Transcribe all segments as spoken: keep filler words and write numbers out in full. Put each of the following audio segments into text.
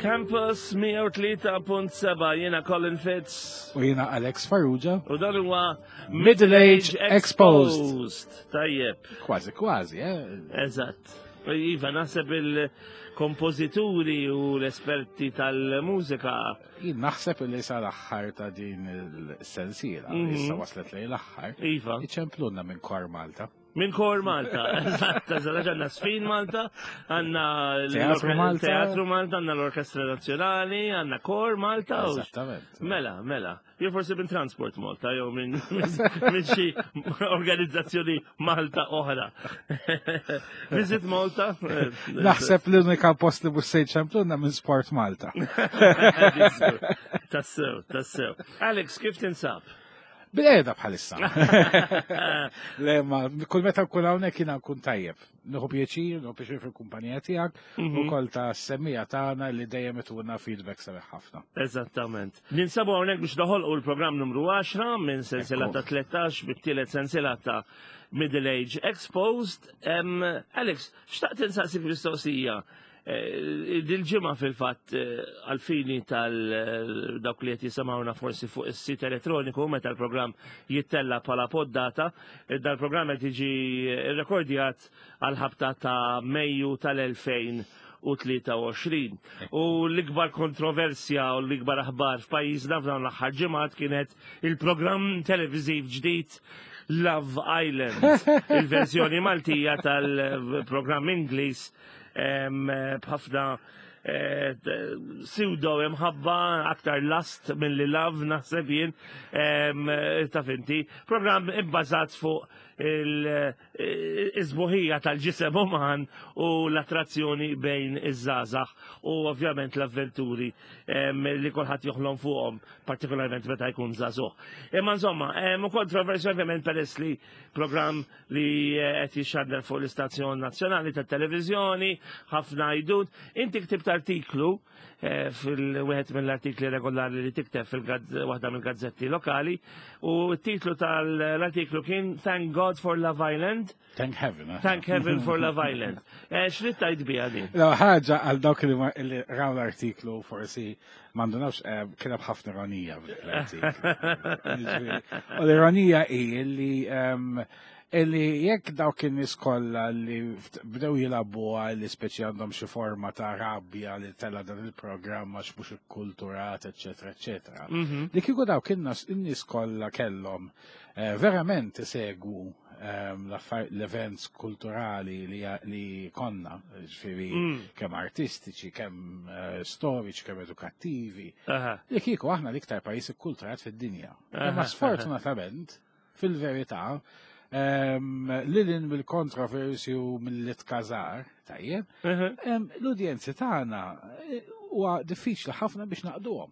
Campus mija u tlieta punt seba', jiena Colin Fitz. U jiena Alex Farrugia. U dan huwa Middle Age Exposed. Tajjeb. Kważi, kważi, eh? Eżatt. Iva, naħseb il-kompożituri u l-esperti tal-mużika. Jien naħseb li sal-aħħar ta' din il-sensiela, Mhm. issa waslet lejn l-aħħar, Iva. iċemplunna minn Kor Malta. Minn Kor Malta, eżatt, eżatt, għandna Żfin Malta, għandna Teatru Malta. Teatru Malta, għandna l-Orkestra Nazzjonali, għandna Kor Malta. u- Eżattament. Mela, mela. Jew forsi minn Transport Malta, jew minn minn xi organizzazzjoni Malta oħra. Visit Malta. eh, Naħseb l-unika post li mhux se jċemplunna minn Sport Malta. Tassew, tassew. Alex, kif tinsab? Bil-qiegħda bħalissa. Le, ma, kull meta nkun hawnhekk jiena nkun tajjeb. Nieħu pjaċir, nieħu pjaċir fil-kumpanija tiegħek u kol ta' semmiegħa tagħna li dejjem ituna feedback sabiħ ħafna. Eżattament. Ninsabu hawnhekk biex noħolqu l-programm numru għaxra minn sensiela Ekku. ta' tlettax, bit-tielet sensiela ta' Middle Age Exposed. Em, Alex, xtaqt insaqsik mistoqsija. Eh, Dil-ġimgħa fil-fatt, eh, għal-fini tal-dawk li qed jisimgħuna forsi fuq is-sit elettroniku meta l-programm jittella bħala poddata, eh, dal-programm qed jiġi rekordjat għal-ħabta ta' Mejju tal-elfejn u tlieta u għoxrin. U l-ikbar kontroversja u l-ikbar aħbar f'pajjiżna f'dawn l-aħħar ġimgħat kienet il-programm televiżiv ġdid Love Island, il-verżjoni Maltija tal-programm Ingliż em, b'ħafna eh, pseudo imħabba, aktar lust milli love naħseb jien, em, taf inti, programm ibbażat fuq il-isbuħija tal-ġisem uman u l-attrazzjoni bejn iż-żgħażagħ u ovvjament l-avventuri em, li kulħadd joħlom fuqhom, partikolarment meta jkun żagħżugħ. Imma insomma, hemm kontroversja ovvjament peress li programm li eh, qed jixxandar fuq l-istazzjon nazzjonali tat-televiżjoni, ħafna għajdut. Inti ktibt artiklu eh, fil-wieħed mill-artikli regolari li tikteb fil-waħda mill-gazzetti lokali u t-titlu tal-artiklu kien "Thank God for Love Island". Thank heaven, eh? Thank heaven for Love Island. Eh, X'rid tgħid biha din? No, ħaġa għal dawk li ma- li raw l-artiklu forsi m'għandunawx, eh, kien hemm ħafna ironija fl-artiklu. Jiġifieri, u l-ironija hi li em, illi jekk dawk in-nies kollha li ft- bdew jilagħbuha li speċi għandhom xi forma ta' rabbja li tella dan il-programm għax mhux ikkulturat, eċetera, eċetera. Li kieku dawk in-nies in-nies kollha kellhom eh, verament isegwu ehm, l-affar- l-events kulturali li, li konna, ġifieri kemm artistiċi, kemm eh, storiċi, kemm edukattivi, Aha. li kieku aħna l-iktar pajjiż ikkulturat fid-dinja. Aha, Imma sfortunatament, fil-verità, ehm, lilin mill-kontroversi u mill-itkazar, tajjeb, Aha. ehm, l-udjenzi tagħna eh, huwa diffiċli ħafna biex naqduhom,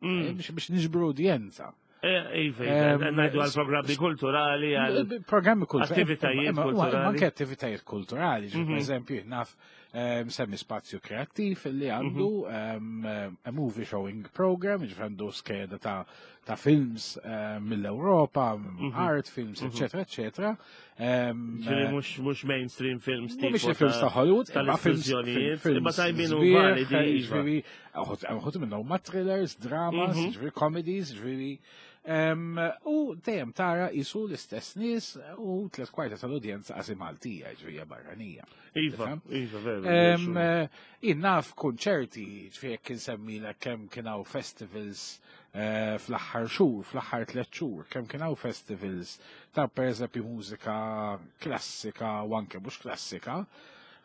Mm. eh, biex biex niġbru udjenza. Eh, Iva, iva, Em, ngħidu għal programmi kulturali, għal Programmi kulturali. attivitajiet Imma- imma- kulturali. Anke attivitajiet kulturali. Mhm. Per eżempju, naf eh, semmi Spazju Kreattiv li għandu Mhm. em, a movie showing program, ġifieri għandu skeda ta' ta' films eh, mill-Europa, Mhm. art films, eccetera, eccetera. Em, Ġifieri mhux mhux mainstream films tipo Mhumiex films ta' Hollywood, imma films tal-istituzzjonijiet, imma tajbin u sbieħ, validi, iva. ġifieri, uħud minnhom huma thrillers, dramas, Mhm. ġifieri comedies, ġifieri. em, U dejjem tara jisu l-istess nies u tliet kwarta tal-udjenza qasi Maltija, ġifieri barranija. Iva, Tifhem? iva, veru. Em, eh, Jien naf konċerti, ġifieri jekk insemmilek kemm kien hawn festivals eh, fl-aħħar xhur, fl-aħħar tliet xhur, kemm kien hawn festivals ta' pereżempju mużika klassika u anke mhux klassika,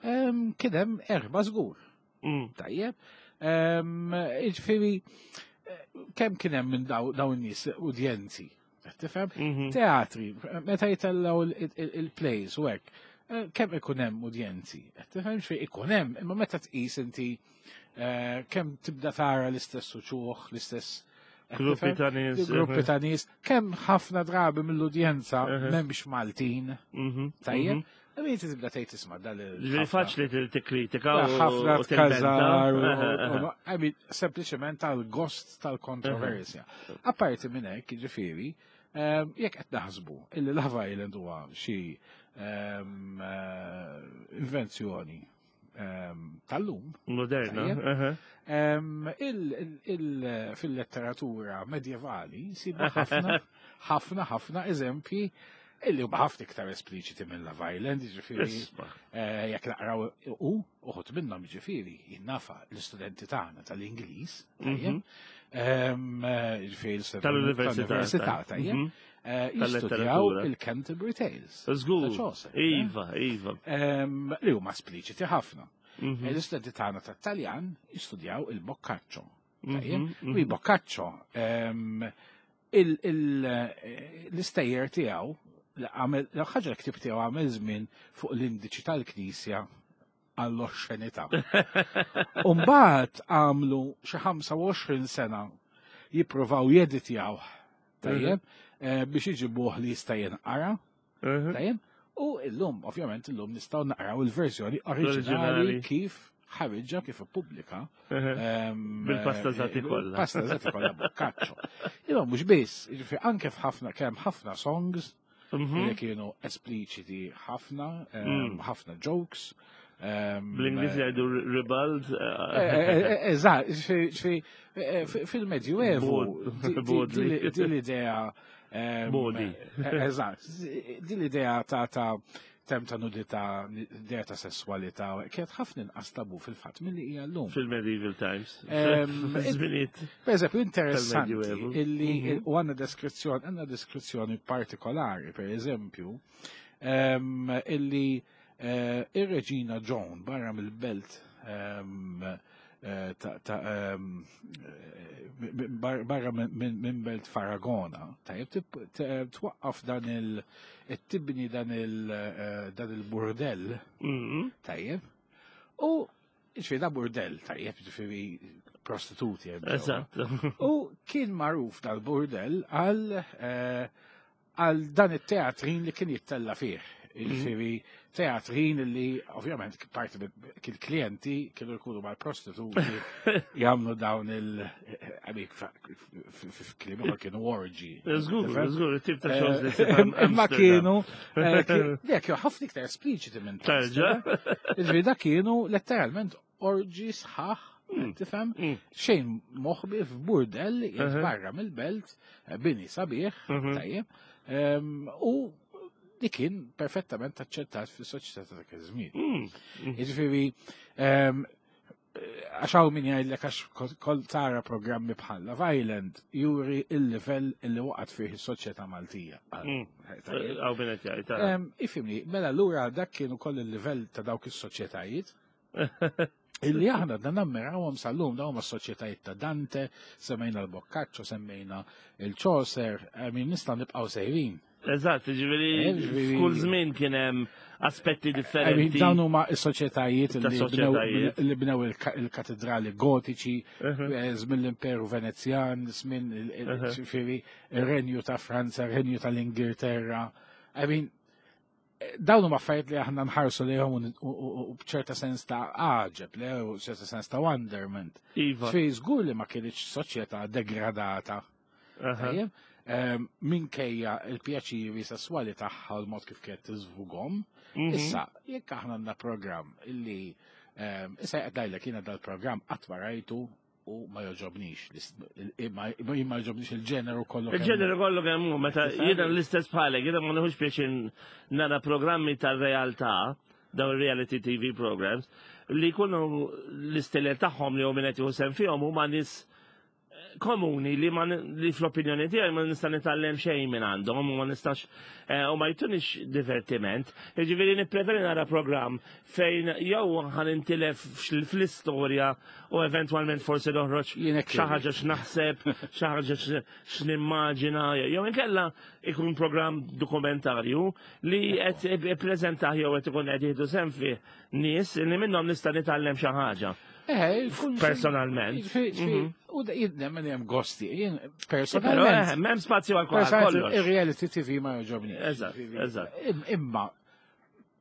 em, kien hemm erba' żgur. Mm. Tajjeb. Em, Ġifieri, eh, kemm kien hemm minn daw dawn in-nies udjenzi? Qed tifhem? Mhm. Teatri, meta jitellaw il- il- il-plays u hekk, eh, kemm ikun hemm udjenzi? Qed tifhem xejn ikun hemm, imma meta tqis inti eh, kemm tibda tara l-istess uċuħ, l-istess, qed Gruppi tifhem? ta' nies. Gruppi ta' nies, kemm ħafna drabi mill-udjenza Mhm. m'hemmx Maltin, Mhm, tajjeb? mhm. Għamin tibda tgħid isma' dal Ġifieri faċli til- tikkritika u ħafna u tilmenta. tkazar, u- Aha, aha. u- I mean, sempliċement tal-gost tal-kontroversja. Apparti minn hekk, ġifieri, ehm, jekk qed naħsbu illi Love Island huwa xi ehm, eh, invenzjoni ehm, tal-lum, Moderna. Tajjeb. aha. ehm, il- il- il- fil-letteratura medjevali sibu ħafna, ħafna, ħafna eżempji illi huma ħafna iktar espliċiti minn Love Island, ġifieri Isma. eh, jekk naqraw u uħud minnhom ġifieri jinnafa l-istudenti tagħna tal-Ingliż, tajjeb, ehm, eh, ġifieri l-istudenti Tal-università. tal-università, tajjeb, Mhm. eh, jistudjaw Tal-letteratura. il-Canterbury Tales. Ta' Żgur. Chaucer, eh? Iva, iva. Ehm, li huma espliċiti ħafna. Mhm. L-istudenti tagħna tat-Taljan jistudjaw il-Boccaccio. Tajjeb? Mhm, U il-Boccaccio ehm, il- il- eh, l-istejjer tiegħu li għamel l ħaġa l-ktib tiegħu għamel żmien fuq l-indiċi tal-Knisja għall-oxxenità. Umbagħad għamlu xi ħamsa u għoxrin sena jippruvaw jeditjaw tajjeb eh, biex iġibuh li jista' jinqara. Mhm. Tajjeb? U illum, ovvjament, illum nistgħu naqraw il-verżjoni oriġinali Oriġinali. kif ħariġha, kif ippubblika. Mhm. ehm, Bil-pasta żati eh, kollha. Pasta żati kollha Boccaccio. Imma mhux biss, jiġifieri anke f'ħafna kemm ħafna songs Mhm. li kienu espliċiti ħafna, ehm, Mm. ħafna jokes. ehm, Bl-Ingliż jgħidu ribald. Eh, eh, eh, Eżatt, ġifieri- ġifieri, eh, fi- fil-Medjuevu, Bod- di- di- bodli. di- din l-idea. ehm, Bodi. eh, Eżatt, din l-idea ta' ta' tem ta' nudità, idea ta' sessualità, kienet ħafna inqas tabu fil-fatt milli hija llum. Fil-medieval times. Ehm, Żminijiet. Per eżempju, interessanti Tal-Medjuevu. illi Mhm. u għandna deskrizzjoni, għandna deskrizzjoni partikolari, per eżempju, ehm, illi eh, ir-Reġina Joan barra mill-belt ehm, eh, ta' ta' ehm, eh, bar- barra minn- minn minn belt Faragona, tajjeb, tip- t- twaqqaf dan il tibni dan il eh, dan il-burdell, Mhm. tajjeb, u ġifieri da burdell, tajjeb, ġifieri prostituti. hemm ġewwa. Eżatt. U kien magħruf dal-burdell għal eh, għal dan it-teatrin li kien jittella fih. Ġifieri teatrin li ovvjament parti kien klienti kienu jkunu mal-prostituti jagħmlu dawn il għamik f'kliem ieħor kienu orgy. Żgur, Tifhem? żgur, it-tip ta' shows li Eh, ssib Imma Amsterdam. kienu, eh, kien- le, kienu ħafna iktar espliċiti minn Tarġa? Ġifieri da kienu letteralment orgy sħaħ, tifhem? Mm. Xejn moħbi f'burdell jgħid Mhm. barra mill-belt, eh, bini sabiħ, Mhm. tajjeb, ehm, u li kien perfettament aċċettat fis-soċjetà ta' dak iż-żmien. Mm. Jiġifieri, ehm, għax hawn min jgħidlek għax kol- kol tara programmi bħal Love Island juri il-livell illi waqgħet fih is-soċjetà Maltija. Mm. Tajjeb. Hawn min qed jgħid, tara. Ehm, Ifhimni, mela lura dak kienu koll il-livell ta' dawk is-soċjetajiet illi aħna dan nammirawhom sal-lum dawn huma s-soċjetajiet ta' Dante, semmejna l-Boccaccio, semmejna il-Chaucer, I mean nista' nibqgħu sejrin. Eżatt, ġifieri Eh, ġifieri- f'kull żmien kien hemm aspetti I mean, differenti. dawn huma s-soċjetajiet Ta' li bnew soċjetajiet. li bnew il-ka- il-katedrali gotiċi, Mhm. eh, żmien l-Imperu Venezjan, żmien il- il- Mhm. ġifieri ir-Renju ta' Franza, ir-Renju tal-Ingilterra. I mean, eh, dawn huma affarijiet li aħna nħarsu lejhom u- u u- u b'ċerta sens ta' għaġeb, le, u ċerta sens ta' wonderment. Iva. Fej żgur li ma kienx soċjetà degradata. Aha. Tajjeb? Ehm, Minkejja il-pjaċiri sesswali tagħha u l-mod kif kienet tiżvugom. Mhm. Issa, jekk aħna għandna programm illi ehm, issa qed ngħidlek jiena dal-programm qatt ma rajtu u ma joġobnix. il- Ma ma joġobnix il-ġeneru kollu. kemm hu. Il-ġeneru kollu kemm hu, meta Tifhem? jiena l-istess bħalek, jiena ma nieħux pjaċir nara programmi tal-realtà, dawn reality T V programs, li jkunu l-istilel tagħhom li hu min qed jieħu sehem fihom huma nies komuni li ma li fl-opinjoni tiegħi ma nista' nitgħallem xejn minn għandhom u ma nistax eh, u ma jtunix divertiment. Jiġifieri nippreferi nara programm fejn jew ħa nintilef fl-istorja u eventwalment forsi noħroġ Jien hekk xi ħaġa x'naħseb, xi ħaġa x'nimmaġina, jew inkella ikun programm dokumentarju li qed ippreżentah jew qed ikun qed jieħdu sehem fih nies li minnhom nista' nitgħallem xi ħaġa. Eh, jkun- Personalment. Fi- fi- Mhm. U da jien nemmen hemm gosti. Jien Però personalment. eh, m'hemm spazju għal Personalment, kollox. il-reality T V ma joġobni. Eżatt, eżatt. Imma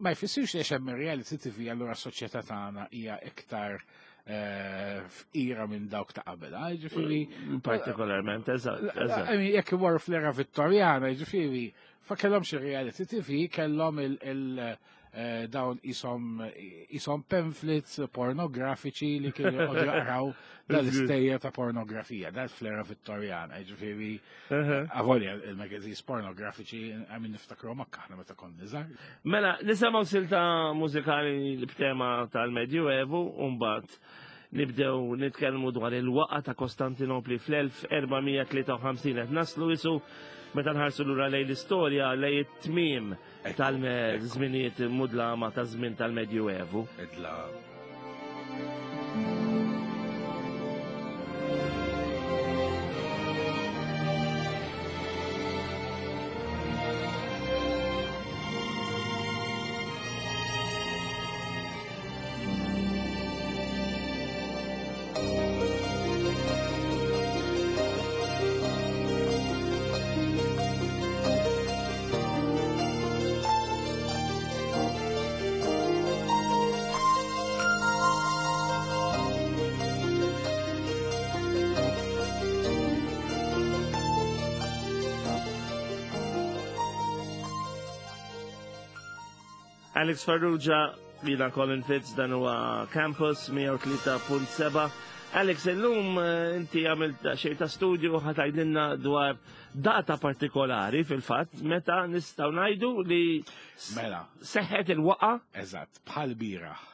ma jfissirx li hemm reality T V allura s-soċjetà tagħna hija iktar eh, fqira minn dawk ta' qabel. ah, Ġifieri, Partikolarment, eżatt, eżatt. I mean, jekk imorru fl-era Vittorjana, ġifieri, fa kellhomx il-reality T V, kellhom il- il- Dawn isom isom pamphlets pornografiċi li kienu joqogħdu jaqraw dal-istejjer ta' pornografija, dal-flera Vittorjana, ġifieri avolja il-magazines pornografiċi għamin niftakru makka aħna meta konna żgħar. Mela, nisimgħu silta mużikali b'tema tal-Medjuevu u mbagħad nibdew nitkellmu dwar il-waqa ta' Kostantinopli fl-elf erba' mija tlieta u ħamsin qed naslu isu meta nħarsu lura lejn l-istorja lejn it-tmiem tal-żminijiet mudlama ta' żmien tal-Medjuevu. Idla. Alex Farrugia, jiena Colin Fitz, dan huwa Campus mija u tlieta punt seba'. Alex, illum inti għamilt xejn ta' studju ħa tgħidilna dwar data partikolari fil-fatt meta nistgħu ngħidu li Mela. seħħet il-waqa. Eżatt, bħal bieraħ.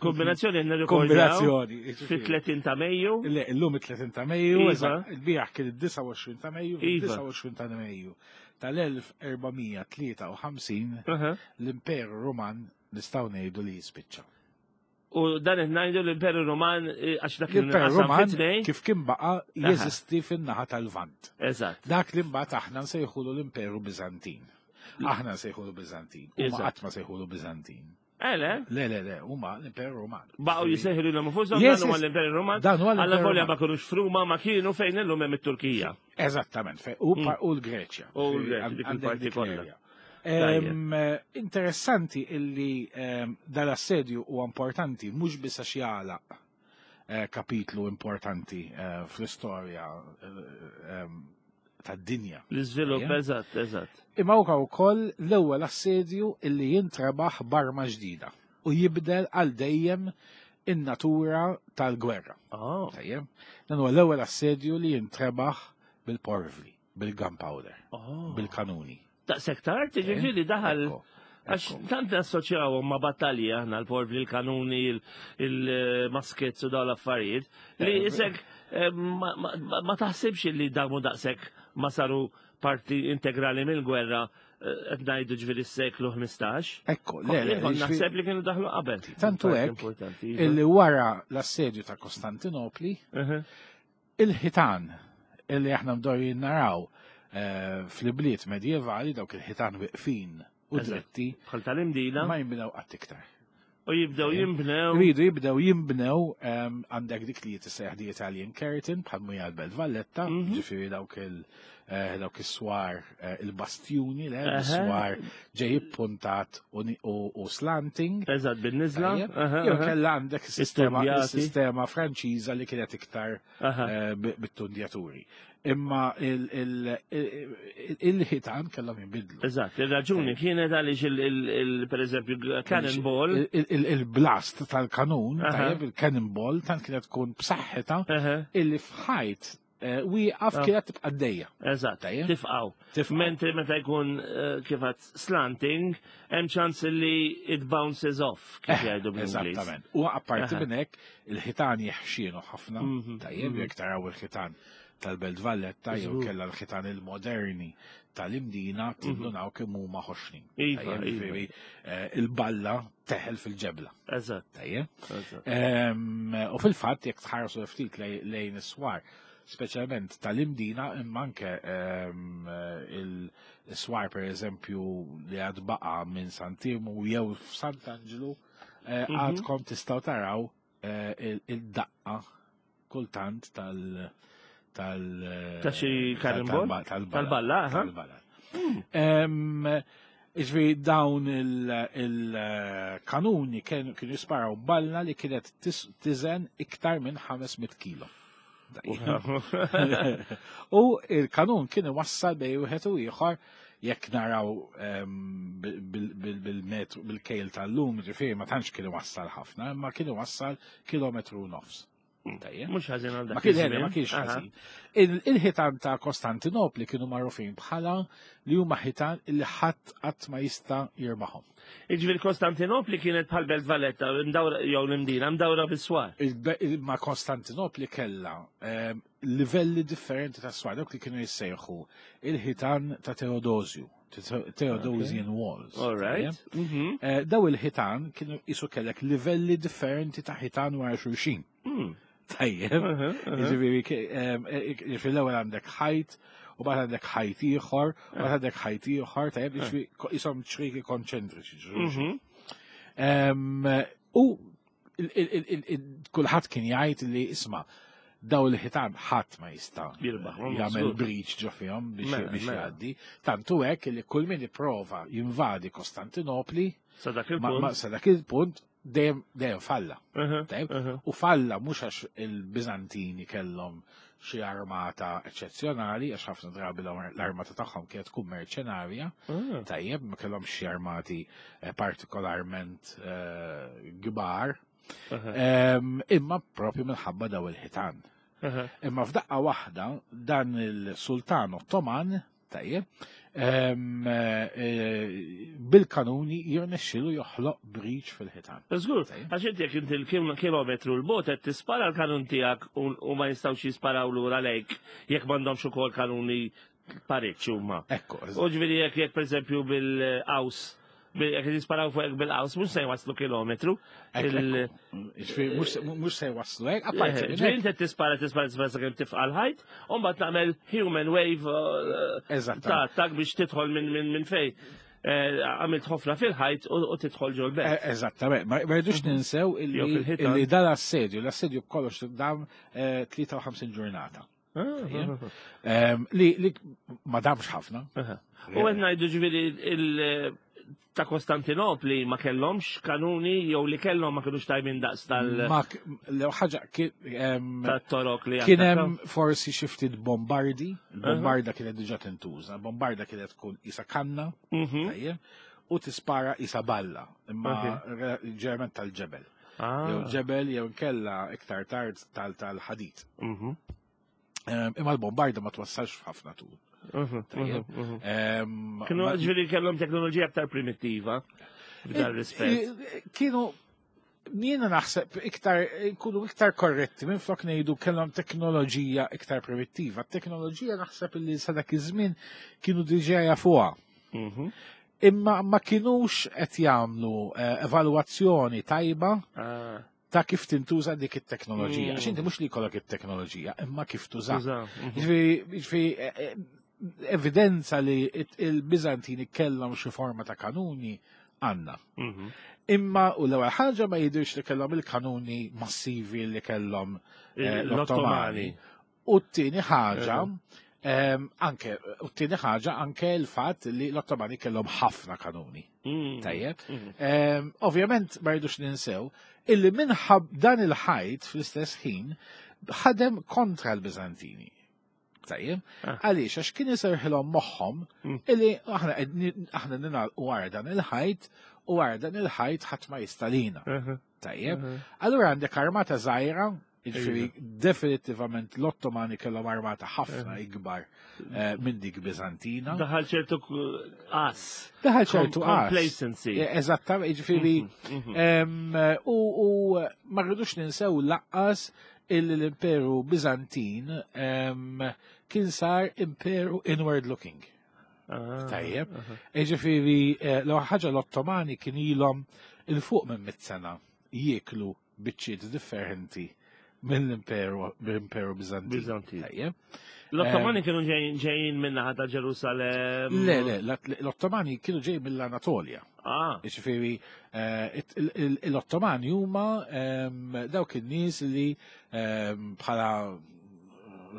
Kombinazzjoni nirrikordjaw Kombinazzjoni, jiġifieri. fit-tletin ta' Mejju. Le, illum it-tletin ta' Mejju, Iva. eżatt, il-bieraħ kien id-disa u għoxrin ta' Mejju, Iva. id-disa u għoxrin ta' Mejju tal-elf erba' mija tlieta u ħamsin Aha. l-Imperu Ruman nistgħu ngħidu li jispiċċa. U dan qed ngħidu l-Imperu Ruman, eh, għax dak kien L-Imperu inqasam Ruman fi tnejn. kif kien baqa' Aha. jeżisti fin-naħa tal-Lvant. Eżatt. Dak li mbagħad aħna nsejħulu l-Imperu Biżantin. Aħna nsejħulu Biżantin. Huma Eżatt. qatt ma sejħulu Biżantin. Eh, le? Le, le, le, huma l-Imperu Ruman. Baqgħu jisejħu lilhom infushom, Yes, dan huwa yes. l-Imperu Ruman. Dan huwa l-Imperu Alla volja Ruman. ma kinux f'Ruma, ma kienu fejn illum hemm it-Turkija. Eżattament, fej, u pa-, u l-Greċja. U l-Greċja, dik Għandek il-parti dik kollha. l-area. Em, interessanti illi, em, dal-assedju huwa importanti mhux biss għax jagħlaq, eh, kapitlu importanti, eh, fl-istorja, eh, em, tad-dinja. L-iżvilupp, Ejja. eżatt, eżatt. Imma huwa wkoll l-ewwel assedju illi jintrebaħ b'arma ġdida u jibdel għal dejjem in-natura tal-gwerra. Oh. Tajjeb? Dan huwa l-ewwel assedju li jintrebaħ bil-porvli, bil-gunpowder, Oh. bil-kanuni. Daqshekk tard, jiġifieri daħal Ekku, għax ekku. tant nassoċjawhom ma' battalji aħna l-porvli, l-kanuni, il-, il-maskets u dawn l-affarijiet, li Eh, isek, eh, ma, ma, ma taħsibx li damu daqshekk ma saru parti integrali mill-gwerra, eh, qed ngħidu ġifieri s-seklu ħmistax. Ekku, le, le, Kont ġifieri naħseb li kienu daħlu qabel. Tantu Parti hekk importanti, iva. illi wara l-assedju ta' Kostantinopli, Uh-huh. il-ħitan illi aħna mdorjin naraw, eh, fl-ibliet medjevali, dawk il-ħitan wiqfin u Eżatt. dritti, Bħal tal-Imdina. ma jinbnew qatt iktar. U jibdew Ejja. jinbnew. Jridu jibdew jinbnew, ehm, għandek dik li jitissejjaħ di Italian Curtain bħal mija l-Belt Valletta, Mhm. ġifieri dawk il-, eh, dawk is-swar, eh, il-bastjuni, le, Aha. is-swar ġej ippuntat u ni-, u, u slanting. Eżatt, bin-niżla. Tajjeb. Aha, Jew aha. kellha għandek is-sistema, Istudjati. is-sistema Franċiża li kienet iktar, Aha. eh, bi-, bit-tundjaturi. Imma il-, il-, il-, il-ħitan kellhom jinbidlu. Eżatt, il-raġuni kienet għaliex il-, il-, il-, per eżempju, cannonball. Il-, il-, il-blast tal-kanun, Aha. tajjeb, il-cannonball, tant kienet tkun b'saħħitha Aha. illi f'ħajt, eh, wieqaf Ah. kienet tibqa' għaddejja. Eżatt, Tajjeb. tifqaw. Tifqaw. Mentri meta jkun, eh, kif għad slanting, hemm ċans li it bounces off, kif Eh, jgħidu bl-Ingliż. Eżattament. U apparti Aha. minn hekk, il-ħitan jeħxienu ħafna, Mhm, tajjeb, mhm. jekk taraw il-ħitan tal-Belt Valletta jew Żgur. kellha l-ħitan il-moderni tal-Imdina, tindunaw kemm huma ħoxnin. Iva, Tajjeb, iva. jiġifieri, eh, il-balla teħel fil-ġebla. Eżatt. Tajjeb. Eżatt. Ehm, u fil-fatt jekk tħarsu ftit lej-, lejn is-swar, speċjalment tal-Imdina, imma anke, ehm, il-swar per eżempju li għad baqa minn Sant'Iermu jew f'Sant'Angelo, eh, Mhm. għadkom tistgħu taraw, eh, il-, il-daqqa kultant tal-, tal-, Ta' xi tal- cannonball? tal-, tal-balla. Tal-balla, aha. Tal-balla. Ehm, Iġvi dawn il-, il-kanuni kienu, kienu jisparaw balla li kienet tis-, tiżen iktar minn ħames mitt kilo. U il-kanun kien iwassal bej wieħed u ieħor Jekk naraw em, bil- bil- bil- bil-metru, bil-kejl tal-lum, ġifieri ma tantx kienu wassal ħafna, imma kienu wassal kilometru u nofs. Tajjeb. Mhux ħażin għal dak Ma kien iż-żmien. ma kienx Aha. ħażin. Il- Il-ħitan ta' Kostantinopli kienu magħrufin bħala li huma ħitan li ħadd qatt ma jista' jirbaħhom. Iġifieri Kostantinopli kienet bħal Belt Valletta, mdawra jew l-Imdina, mdawra bis-swar. Il- il- Ma Kostantinopli kella em, livelli differenti ta' swar, dawk li kienu jissejħu il-ħitan ta' Teodosju, Te- Theodosian Walls. All right. Tajjeb? Mhm. Eh, Daw il-ħitan kienu jisu kellek livelli differenti ta' ħitan wara xulxin. Mm. Tajjeb. Aha, aha. Ġifieri, ke- em, e- e- ġifieri l-ewwel għandek ħajt, u bad għandek ħajt ieħor, u bad għandek ħajt ieħor, tajjeb, ġifieri ko- jisom ċriki konċentriċi. ġifieri. Mhm. Em, U il- il- il- il- il- kulħadd kien jgħid li isma' daw il-ħitan ħadd ma jista' Jirbaħ, jagħmel żgur. breach ġo fihom biex Mela, biex mela. jgħaddi. Tantu hekk li kull min ipprova jinvadi Kostantinopli Sa dak ma ma- il-punt. sa dak il-punt dejjem dejjem falla. Aha, Tajjeb? aha. U falla mhux għax il-Biżantini kellhom xi armata eċċezzjonali, għax ħafna drabi l-armata tagħhom kienet tkun merċenarja, Ah. tajjeb, ma kellhom xi armati eh, partikolarment eh, kbar, Aha, Em, imma propju minħabba daw il-ħitan. aha. Imma f'daqqa waħda dan il-Sultan Ottoman, tajjeb, em, eh, bil-kanuni jirnexxilu joħloq breach fil-ħitan. Żgur, Tajjeb. għax inti jekk inti l-kilometru l-bot qed tispara l-kanun tiegħek u u ma jistgħux jisparaw lura lejk jekk m'għandhomx ukoll kanuni pariċ huma. Ekku, U ġifieri jekk jekk pereżempju bil-qaws, bil- jekk jisparaw fuq bil-qaws mhux se jwaslu kilometru. Ekku, Il- ekku. Ġifieri, mhux mhux se jwaslu hekk, apparti minn Ġifieri hekk. inti tispara tispara tispara sakemm tifqa' l-ħajt, u mbagħad tagħmel human wave uh, Eżattament. ta' tak biex tidħol minn minn minn fej. Eh, Għamilt ħofra fil-ħajt u u tidħol ġol belt. Eh, Eżattament, ma ma rridux ninsew Jew illi fil-ħitan. illi dan l-assedju, l-assedju b'kollox dam eh, tlieta u ħamsin ġurnata. Ah, Em, Li li ma damx ħafna. Aha. U għed ngħidu ġifieri il- ta' Kostantinopli ma kellhomx kanuni jew li kellhom ma kinux tajbin daqs tal- Ma k- l ħaġa kien em, tat-torok li kien attakkaw. hemm forsi xi ftit bombardi, il-bombarda kienet diġà tintuża, bombarda kienet tkun isa kanna, Mhm. tajjeb, u tispara isa balla, imma re- ġerment tal-ġebel. Ah. Jew ġebel jew nkella iktar tard tal- tal-ħadid. Mhm. Em, Imma l-bombarda ma twassalx f'ħafna tul. Mhm, Tajjeb. mhm, mhm. Em, Kienu ma- ġifieri kellhom teknoloġija aktar primittiva f'dan rispett. Eh, Kienu jiena naħseb iktar nkunu iktar korretti minn flok ngħidu kellhom teknoloġija iktar primittiva. Teknoloġija naħseb li sa dak iż-żmien kienu diġà jafuha. Mhm. Imma ma kinux qed jagħmlu eh, evalwazzjoni tajba Ah, ta' kif tintuża dik it-teknoloġija. Mm. Għax inti mhux li jkollok it-teknoloġija, imma kif tuża. tuża, mhm. Ġifieri, ġifieri, eh, eh, evidenza li it- il-Biżantini kellhom xi forma ta' kanuni għandna. Mhm. Imma u l-ewwel ħaġa ma jidhirx li kellhom il-kanuni massivi li kellhom eh, L-Ottomani. l-Ottomani. U t-tieni ħaġa, em, anke, u t-tieni ħaġa anke l-fatt li l-Ottomani kellhom ħafna kanuni. Mm. Tajjeb. Mhm. Em, Ovvjament ma rridux ninsew illi minħab dan il-ħajt fl-istess ħin ħadem kontra l-Biżantini. Tajjeb, Ah. għaliex għax kien iserħilhom moħħhom Mm. illi aħna qed- aħna ninalqu wara dan il-ħajt u wara dan il-ħajt ħadd ma jistalina. Aha, Tajjeb. aha. Allura għandek armata żgħira, jiġifieri definitivament l-Ottomani kellhom armata ħafna ikbar eh, minn dik Biżantina. Daħal ċertu k- qas. Daħal ċertu Com- qas. Complacency. Eh, Eżattament, jiġifieri Mhm. em, u u ma rridux ninsew lanqas illi l-Imperu Biżantin em, kien sar imperu inward looking. Ah, Tajjeb. aha. Ġifieri, eh, l ħaġa l-Ottomani kien ilhom il-fuq minn mit sena jieklu biċċiet differenti mill-Imperu mill-Imperu Biżantin. Biżantin. Tajjeb. L-Ottomani kienu ġejjin ġejjin minnaħa ta' Ġerusalem. Le, le, l-Ottomani kienu ġej mill-Anatolja. Ah, Ġifieri, eh, it- il- il- l-Ottomani huma em, dawk in-nies li em, bħala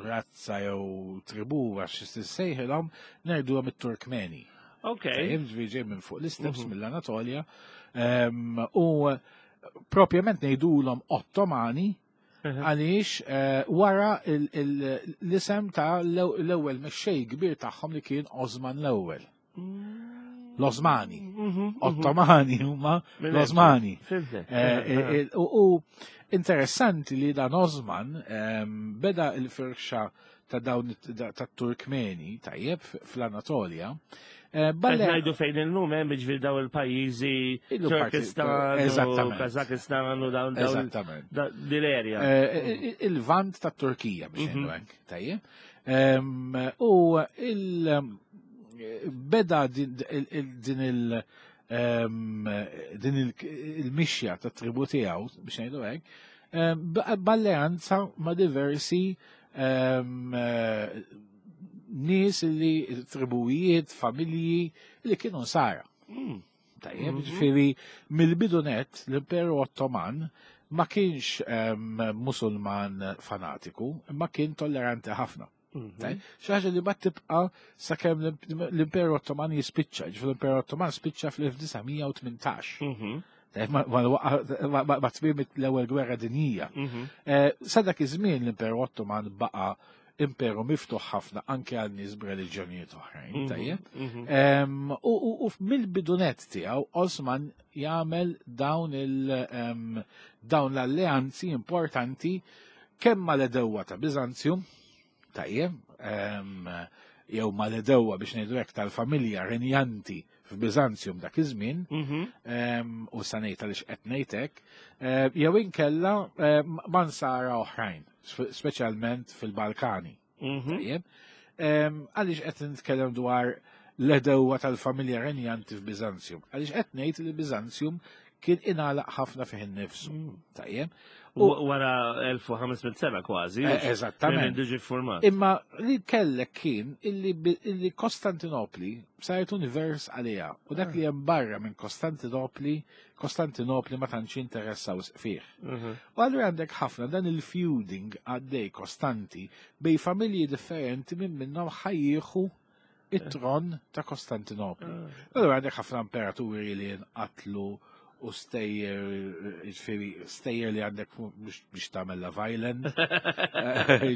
razza jew tribu għax sejħilhom ngħiduhom it-Turkmeni. ok. Tajjeb, ġifieri ġej minn fuq l-isteps Mhm. mill-Anatolja. Em, U propjament ngħidulhom Ottomani Aha. għaliex eh, wara il- il- l-isem ta' l-ewwel mexxej kbir tagħhom li kien Osman l-ewwel. L-Osmani. Ottomani huma l-Osmani. Eh, eh, u interessanti li dan Osman ehm, beda il-firxa ta' dawn ta' Turkmeni, tajjeb, fl-Anatolja. Eh, Balle ngħidu fejn illum hemm jiġifieri daw il-pajjiżi Turkistan, Kazakistan u dawn Eżattament. Dil-erja. Il-vant ta' Turkija biex ngħidu mhm. hekk, tajjeb. Ehm, u il- beda din il- ehm, din il-mixja ta' tribu tiegħu biex ngħidu hekk, ehm, b'alleanza ma' diversi ehm, nies li tribujiet, familji li kienu nsara. Hmm. Tajjeb, mhm. ġifieri mill-bidu net l-Imperu Ottoman ma kienx musulman fanatiku, ma kien tolleranti ħafna. Mhm. Xi ħaġa li bad tibqa' sakemm l-Imperu Ottoman jispiċċa, ġifieri l-Imperu Ottoman spiċċa fl-elf disa' mija u tmintax. Mhm. Ma tmiem l-ewwel gwerra dinjija. Mhm. Eh, sa dak iż-żmien l-Imperu Ottoman baqa' imperu miftuħ ħafna anke għal nies b'reliġjonijiet oħrajn, tajjeb. U mill-bidunet tiegħu Osman jagħmel dawn il dawn l-alleanzi importanti kemm mal-edewwa ta' Biżanzju, tajjeb, jew mal-edewwa biex ngħidu hekk tal-familja renjanti f'Biżanzjum dak iż-żmien, mhm. u sa ngħid għaliex qed ngħid hekk, jew inkella ma' nsara oħrajn, speċjalment fil-Balkani. Mhm. Tajjeb. Għaliex qed nitkellem dwar l-edewwa tal-familja renjanti f'Biżanzjum? Għaliex qed ngħid li Biżanzjum kien ingħalaq ħafna fih innifsu. Mm. Tajjeb. U wara elf u ħames mitt sena kważi. Eh, eżattament. Diġi format. Imma li kellek kien illi, illi Kostantinopli saret univers għaliha u dak li hemm barra minn Kostantinopli, Kostantinopli ma tantx interessaw fih. Mhm. U allura għandek ħafna dan il-feuding għaddej kostanti bej familji differenti minn minnhom ħajjieħu it-tron ta' Kostantinopli. Ah. Allura għandek ħafna imperaturi li nqatlu u stejjer, ġifieri, stejjer li għandek biex tagħmel Love Island.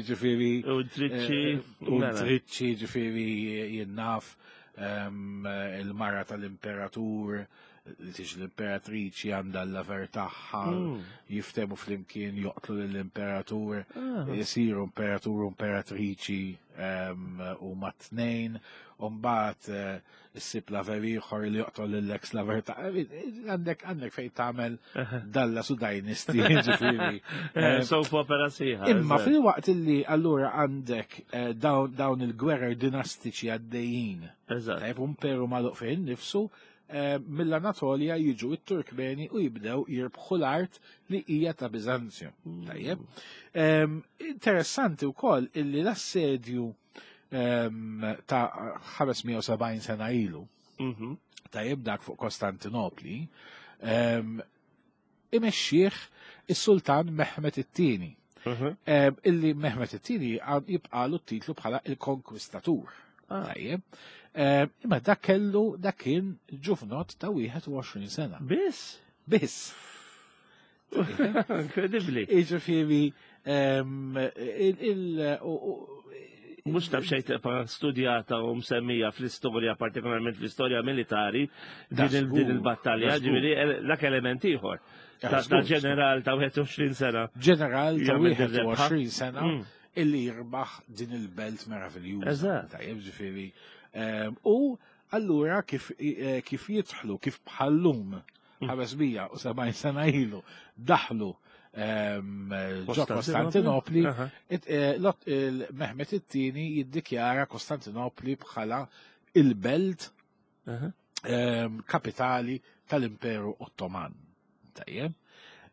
Ġifieri. U triċċi. Eh, u triċċi, ġifieri, jinnaf ehm, il-mara tal-imperatur, li tiġi l-imperatriċi għandha l-laver tagħha, hmm. jiftemu flimkien joqtlu lill-imperatur, ah. jisiru imperatur u imperatriċi ehm, u mat-tnejn, u mbagħad eh, issib laver ieħor li joqtol lill-ex laver ta' għandek għandek fejn tagħmel dalla su dynasty, ġifieri. Eh, soap opera sieħa. Imma fil-waqt illi allura għandek eh, dawn il-gwerer dinastiċi għaddejjin. Eżatt. Tajb imperu magħluq fejn nifsu, eh, mill-Anatolja jiġu it-Turkmeni u jibdew jirbħu l-art li hija ta' Biżanzju. Mm. Tajjeb. Ehm, interessanti wkoll illi l-assedju ehm, ta' ħames mija u sebgħin sena ilu, mhm. tajjeb dak fuq Kostantinopli, ehm, imexxih is-Sultan Mehmet it-Tieni. Mhm. Illi Mehmet it-Tieni jibqalu t-titlu bħala il-Konkwistatur. Ah. Tajjeb. Imma dak kellu dak kien ġufnot ta' wieħed u għoxrin sena. Biss? Biss. Inkredibbli. Jiġifieri, il-, Mhux taf xejn tibqa' studjata u msemmija fl-istorja, partikolarment fl-istorja militari, din il-battalja, ġifieri dak element ieħor. Ta' ġeneral ta' wieħed u għoxrin sena. Ġeneral ta' wieħed u għoxrin sena mm. illi jirbaħ din il-belt meraviljuża. Eżatt. Tajjeb, ġifieri. Ehm, u allura kif, eh, kif jidħlu, kif bħallum mm. ħames mija u sebgħin sena ilu daħlu ehm, ġo Kostantinopli, eh, Mehmet it-tieni jiddikjara Kostantinopli bħala il-belt ehm, kapitali tal-Imperu Ottoman. Tajjeb.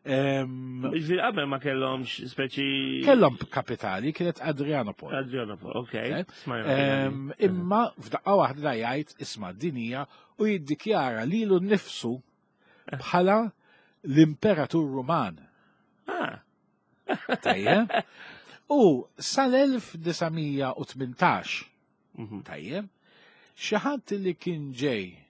Ehm, Ġifieri qabel ma kellhomx speċi Kellhom kapitali, kienet Adrianopol. Adrianopol, ok. Ehm, imma f'daqqa waħda jgħid isma' dinija u jiddikjara lilu nnifsu bħala l-Imperatur Ruman. Ah. Tajjeb. U sal-elf disa' mija u tmintax, Mhm. tajjeb, xi ħadd li kien ġej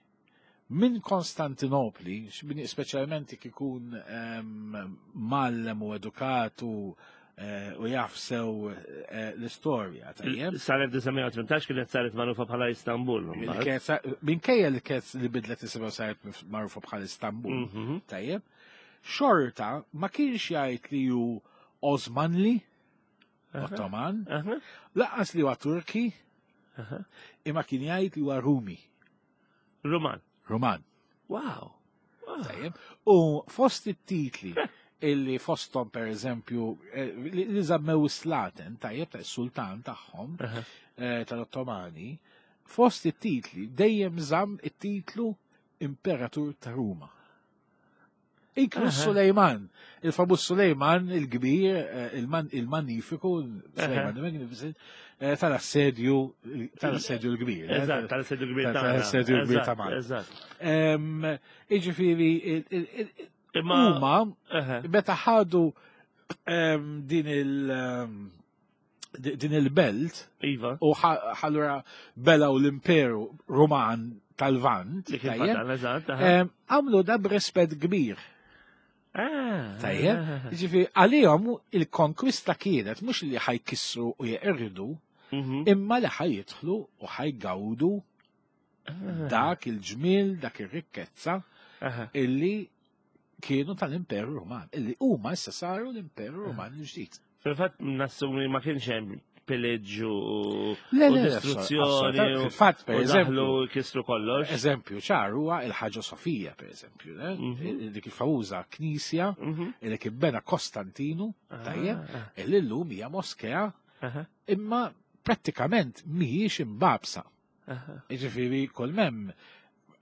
minn Konstantinopli, speċjalment jekk ikun, ehm, mgħallem u edukat u, eh, u jaf sew eh, l-istorja, tajjeb. Sal-elf disa' mija u tmintax kienet saret magħrufa bħala Istanbul. Li kienet sa- Minkejja li kienet li bidlet isimha, saret magħrufa bħala Istanbul, Mhm. tajjeb, xorta ma kienx jgħid li hu Osmanli, Ottoman, Aha. lanqas li huwa Turki, imma kien jgħid li huwa Rumi, Ruman. Ruman. Wow. Wow. Tajjeb. U fost it-titli illi fostom, per eżempju, eh, li li żammew slaten, tajjeb, ta' sultan tagħhom Aha. eh, tal-Ottomani, fost it-titli dejjem żamm it-titlu Imperatur ta' Ruma. Inkluż Aha. Sulejman, il-famuż Sulejman il-kbir, eh, il-man- il-Magnifiku, Sulejman the Magnificent, eh, tal-assedju tal-assedju l-kbir. eh, Eżatt, tal-assedju kbir tal- ta' tal-assedju l-kbir ta' Malta. Eżatt. Em, Iġifieri, il- il- il- Imma. huma Aha. meta ħadu em, din il em, di- din il-belt Iva. u ħa- ħallura belaw l-Imperu Roman tal-Lvant, Li kien tajjeb, fadal, eżatt. aha. em, għamlu da b'rispett kbir. Ah. Tajjeb, ġifieri, għalihom il-konkwista kienet mhux li ħa jkissru u jeqirdu, Mhm. imma li ħa jidħlu u ħa jgawdu dak il-ġmil, dak ir-rikkezza Aha. illi kienu tal-Imperu Roman, illi huma issa saru l-Imperu Roman il-ġdid. Fil-fatt nassumi ma kienx hemm pillage u Le, u le, le, distruzzjoni assolutament. u Fil-fatt, per u eżempju, daħlu kisru kollox. Eżempju ċar huwa il-Ħaġa Sofija, per eżempju, le? Mhm. Dik il-famuża knisja Mhm. illi kien bena Kostantinu, tajjeb, Ah, illi llum hija moskea, aha, imma prattikament mhijiex imbabsa. aha. Ġifieri, kull m'hemm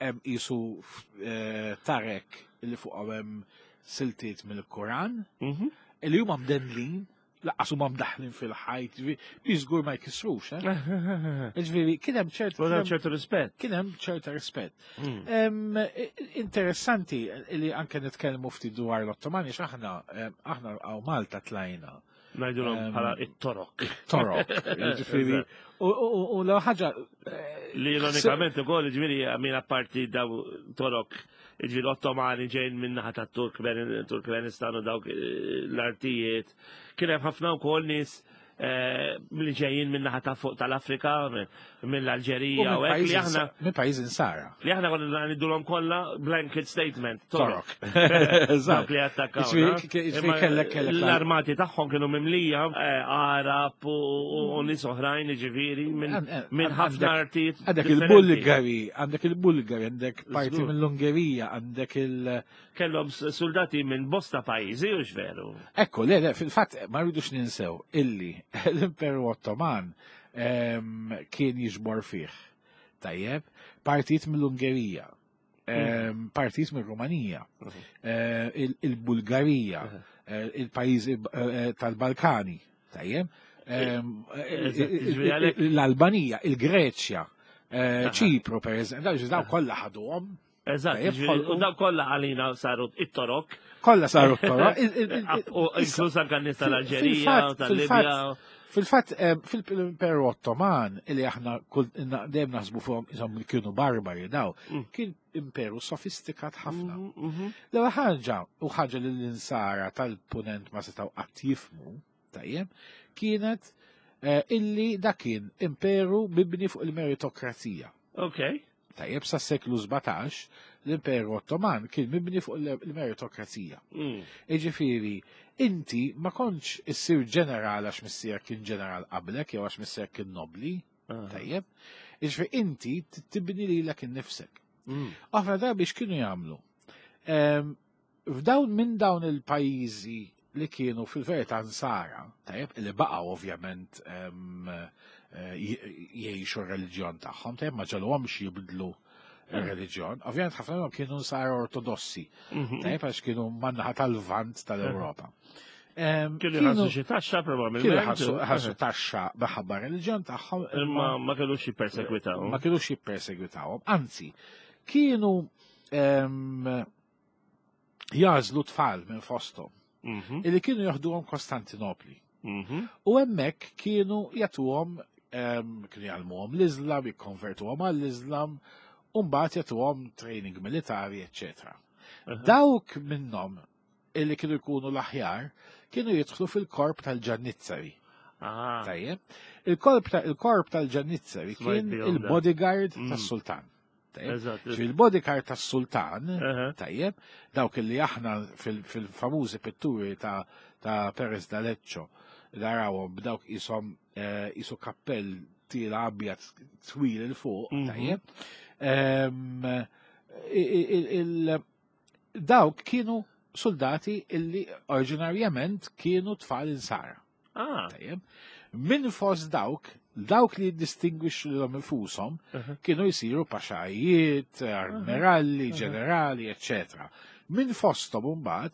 hemm qisu eh, tarek li fuqhom hemm siltiet mill-Koran, Mhm. illi huma mdendlin, lanqas huma mdaħlin fil-ħajt, ġifieri, bi żgur ma jkissrux, eh? Ġifieri, kien hemm ċert U hemm ċertu rispett. kien hemm ċerta rispett. Mm. Em, Interessanti li anke nitkellmu ftit dwar l-Ottomani, x'aħna em, aħna hawn Malta tlajna Ngħidulhom Em, bħala it-Torok. Torok, ġifieri, u u- u l ħaġa eh, Li ironikament ukoll, ġifieri, għamil apparti daw Torok, ġifieri Ottomani ġejn minnaħa ta' Turkmen- Turkmenistan u dawk eh, l-artijiet. Kien hemm ħafna wkoll nies eh, li ġejjin minnaħa ta' fuq tal-Afrika, mill-Alġerija u hekk li aħna minn pajjiż insara. li aħna konna ngħidulhom kollha blanket statement. Torok. Torok. Dawk li attakkaw. Ġifieri, ġifieri kellek kellek L-armati tagħhom kienu mimlija eh, Arab u u nies oħrajn, ġifieri, minn Għan- minn ħafna għandek- artijiet Għandek differenti. il-Bulgari, għandek il-Bulgari, għandek parti Żgur. mill-Ungerija, għandek il- Kellhom s- soldati minn bosta pajjiżi, u veru. Ekku, le, le, fil-fatt ma rridux ninsew illi l-Imperu Ottoman em, kien jiġbor fih. Tajjeb, partijiet mill-Ungerija, em, partijiet mill-Rumanija, eh, il- il-Bulgarija, eh, il-pajjiżi eh, tal-Balkani, tajjeb, em, eh, Eżatt, ġifieri għalhekk- l-Albanija, il-Greċja, eh, Ċipru, per eżempju, dawn dawn kollha ħaduhom, Eżatt, Tajjeb, ġifieri, u ħolqu- daw kollha għalina saru it-Torok. Kollha saru t-Torok. Il- il- il- U inkluż anke nies tal-Alġerija, fil-fatt- tal-Libja. Fil-fatt, eh, fil-Imperu Ottoman, illi aħna kull- dejjem naħsbu fuqhom insomma li kienu barbari daw, Mm. kien imperu sofistikat ħafna. Mhm, mhm. L-ewwel ħaġa, u ħaġa li l-insara tal-punent ma setgħu qatt jifmu, tajjeb, kienet eh, illi dak kien imperu mibni fuq il-meritokrazija. Ok. Tajjeb, sa seklu sbatax l-Imperu Ottoman kien mibni fuq il-meritokrazija. Mm. Iġifieri, inti ma kontx issir ġeneral għax missierek kien ġeneral qablek jew għax missierek kien nobli, Ah. tajjeb. Iġifieri, inti tibni lilek innifsek. Mm. Ħafna drabi x'kienu jagħmlu? Em, F'dawn minn dawn il-pajjiżi li kienu fil-verità nsara, tajjeb, li baqgħu ovvjament em, eh, jgħixu r-reliġjon tagħhom, tajjeb, ma ġagħluhomx jibdlu r-reliġjon. Ovvjament ħafna minnhom kienu nsara ortodossi, Mhm. tajjeb, għax kienu man-naħa tal-Lvant tal-Ewropa. Em, Kienu jħallsu xi taxxa probabbilment. Kienu jħallsu ħallsu taxxa minħabba reliġjon tagħhom, Imma ma kellux jippersegwitaw. ma kienux jippersegwitawhom. Anzi, kienu em, jagħżlu tfal minn fosthom Mhm, illi kienu joħduhom Kostantinopli. mhm. U hemmhekk kienu jagħtuhom em, kienu jgħallmuhom l-Islam, jikkonvertuhom għall-Islam, u mbagħad jagħtuhom training militari, eċċetera. Aha. Dawk minnhom illi kienu jkunu l-aħjar kienu jidħlu fil-korp tal-Ġannizzari. Ah, Tajjeb. Il-korp ta- il-korp tal-Ġannizzari Smajt kien bihom da. il-bodyguard Mm. tas-sultan. Tajjeb. Eżatt. Ġifieri il-bodyguard tas-sultan, Aha. tajjeb, dawk li aħna fil- fil-famużi pitturi ta' ta' Perez d'Aleccio narawhom b'dawk isom eh, isu kappell tila abjad twil 'il fuq, Mhm. tajjeb. Em, il- il- il- Dawk kienu soldati illi oriġinarjament kienu tfal insara. Ah, Tajjeb. Min fost dawk, dawk li jiddistingwixxu lilhom infushom aha. kienu jsiru paxajiet, admiralli, ġenerali, eccetera. Min fosthom imbagħad,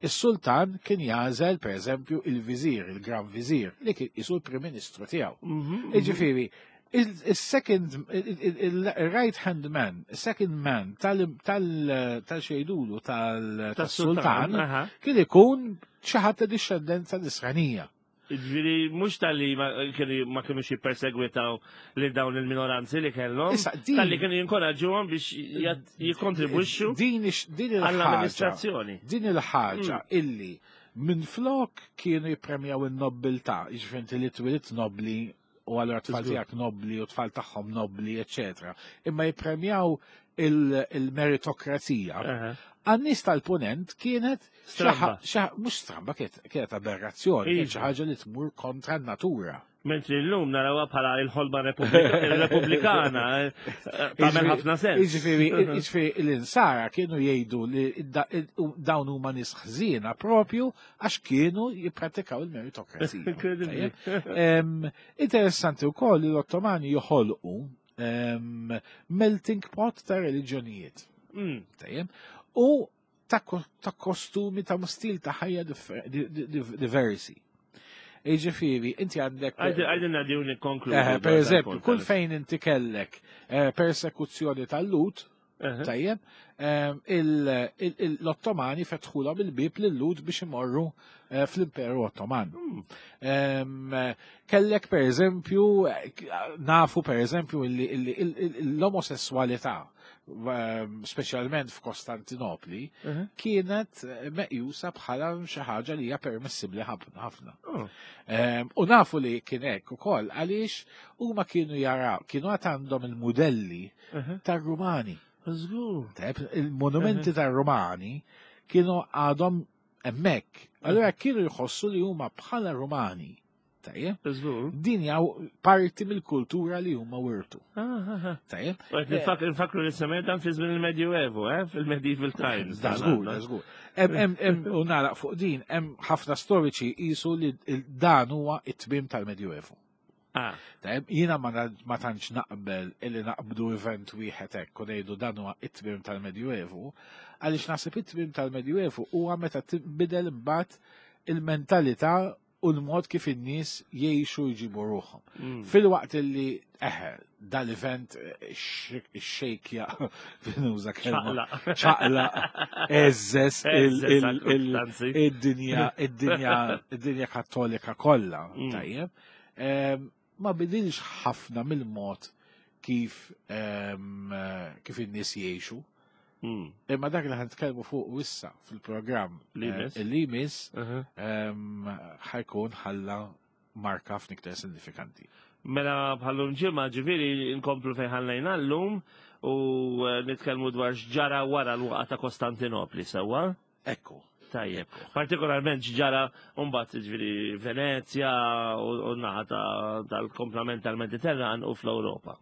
is-sultan kien jagħżel pereżempju il-viżir, il-gran viżir, li kien isu l-Prim Ministru tiegħu. Mhm, Iġifieri, il-second, il-right hand man, second man tal-xejdulu tal-sultan aha. kien ikun xi ħadd ta' dixxendenza nisranija. Ġifieri, mhux tal-li ma kienu ma kienux jippersegwitaw li dawn il-minoranzi li kellhom, Issa, din- tal-li kienu jinkoraġġuhom biex jat- jikkontribwixxu Din ix- din il-ħaġa. għall-amministrazzjoni. Din il-ħaġa illi minn flok kienu jippremjaw in-nobbiltà, jiġifieri li twilit nobli u allura tfal Żgur. tiegħek nobli u tfal tagħhom nobli, eċetera. Imma jippremjaw il- il-meritokrazija. Aha. Għan-nies tal-punent kienet Stramba. xi- mhux stramba, kienet kienet aberrazzjoni, kienet xi Iva. ħaġa li tmur kontra n-natura. Mentri l-lum narawha bħala il-ħolma Repubblika- repubblikana, eh, tagħmel ħafna sens. Jiġifieri, jiġifieri l-insara kienu jgħidu li da- dawn huma nies ħżiena propju għax kienu jippratikaw il-meritokrazija. Incredibly. Tajjeb? Em, Interessanti wkoll li l-Ottomani joħolqu em, melting pot ta' reliġjonijiet. Mm. Tajjeb? U ta' ko- ta' kostumi, ta' stil ta' ħajja differ- di- di- di- diversi. Jiġifieri, inti għandek. Għajdin għadju nikkonkludu. Eh, per eżempju, kull fejn inti kellek eh, persekuzzjoni tal-Lhud, tajjeb, eh, il- il- il- l-Ottomani fetħulhom il-bib lil-Lhud biex imorru eh, fl-Imperu Ottoman. Em, eh, Kellek per eżempju, eh, nafu per eżempju illi- illi- il- l-omosessualità, ehm, speċjalment f'Kostantinopli, kienet eh, meqjusa bħala xi ħaġa li hija permissibbli ħafna ħafna. Em, U nafu li kien hekk ukoll għaliex huma kienu jaraw, kienu għad għandhom il-modelli tar-Rumani. Żgur. Tajjeb, il-monumenti tar-Rumani kienu għadhom hemmhekk. Allura kienu jħossu li huma bħala Rumani. Tajjeb, Żgur. din hija parti mill-kultura li huma wirtu. Tajjeb, Nfakru li semmet dan fi żmien il-Medjuevu, eh? Fil-Medieval Times. Da żgur, da żgur. Hemm hemm hemm u nagħlaq fuq din, hemm ħafna storiċi qisu li il- dan huwa it-tmiem tal-Medjuevu. Ah, Tajjeb, jiena ma na- ma tantx naqbel illi naqbdu event wieħed hekk u ngħidu dan huwa it-tmiem tal-Medjuevu, għaliex naħseb it-tmiem tal-Medjuevu huwa meta tinbidel imbagħad il-mentalità u l-mod kif in-nies jgħixu jġibu ruħhom. mm. Fil-waqt illi eħe, dal-event eh, xejkja nuża kelma ċaqla. ċaqla eżes il- Eżes, il- il- anzi. id-dinja id-dinja id-dinja kattolika kollha Mm. tajjeb. Em, Ma bidilx ħafna mill-mod kif em, eh, kif in-nies jgħixu. Mm. Imma dak li ħanitkellmu fuq issa fil-programm Li eh, jmiss. li jmiss Aha. em, ħajkun ħalla marka ħafna iktar sinifikanti. Mela bħallum ġimgħa ġifieri nkomplu fejn ħallejna llum u eh, nitkellmu dwar x'ġara wara l-waqgħa ta' Kostantinopli sewwa. Ekku. Tajjeb. Partikolarment x'ġara mbagħad ġifieri Venezja u u naħa ta- tal-komplament tal-Mediterran u fl-Ewropa.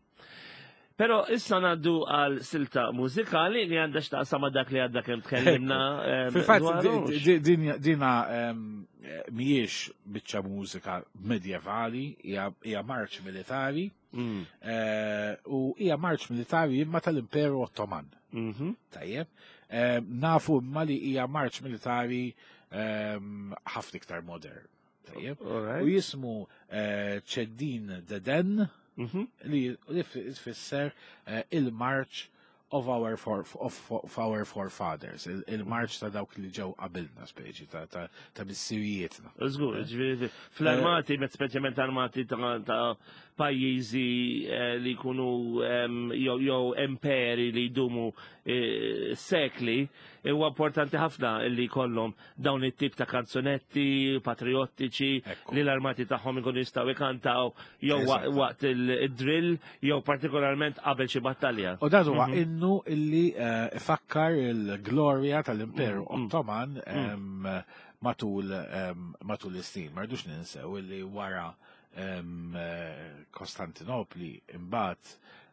Pero issa ngħaddu għal silta mużikali li għandha x'taqsam ma' dak li għadda kemm tkellimna. eh, Fil-fatt, dwaru. di- di- din- dina em, eh, mhijiex biċċa mużika medjevali, hija hija marċ militari, Mm. eh, u hija marċ militari imma tal-Imperu Ottoman. Mhm. Tajjeb. Em, Nafu imma li hija marċ militari em, ħafna iktar modern. Tajjeb. All U right. jismu eh, Ċeddin Deden Mhm. li li tfisser eh, il-march of our, for, of, of our forefathers, il- il-march ta' dawk li ġew qabilna speċi ta' ta' ta' missirijietna. Żgur, ġifieri fl-armati, met speċjalment armati ta' ta' pajjiżi eh, li jkunu em, jew jew imperi li jdumu sekli, huwa importanti ħafna li jkollhom dawn it-tip ta' kanzunetti patriottiċi li l-armati tagħhom ikunu jistgħu jkantaw jew waqt il-drill jew partikolarment qabel xi battalja. U dan huwa innu illi ifakkar il-glorja tal-Imperu Ottoman matul matul is-snin. Ma rridux ninsew illi wara Kostantinopli imbagħad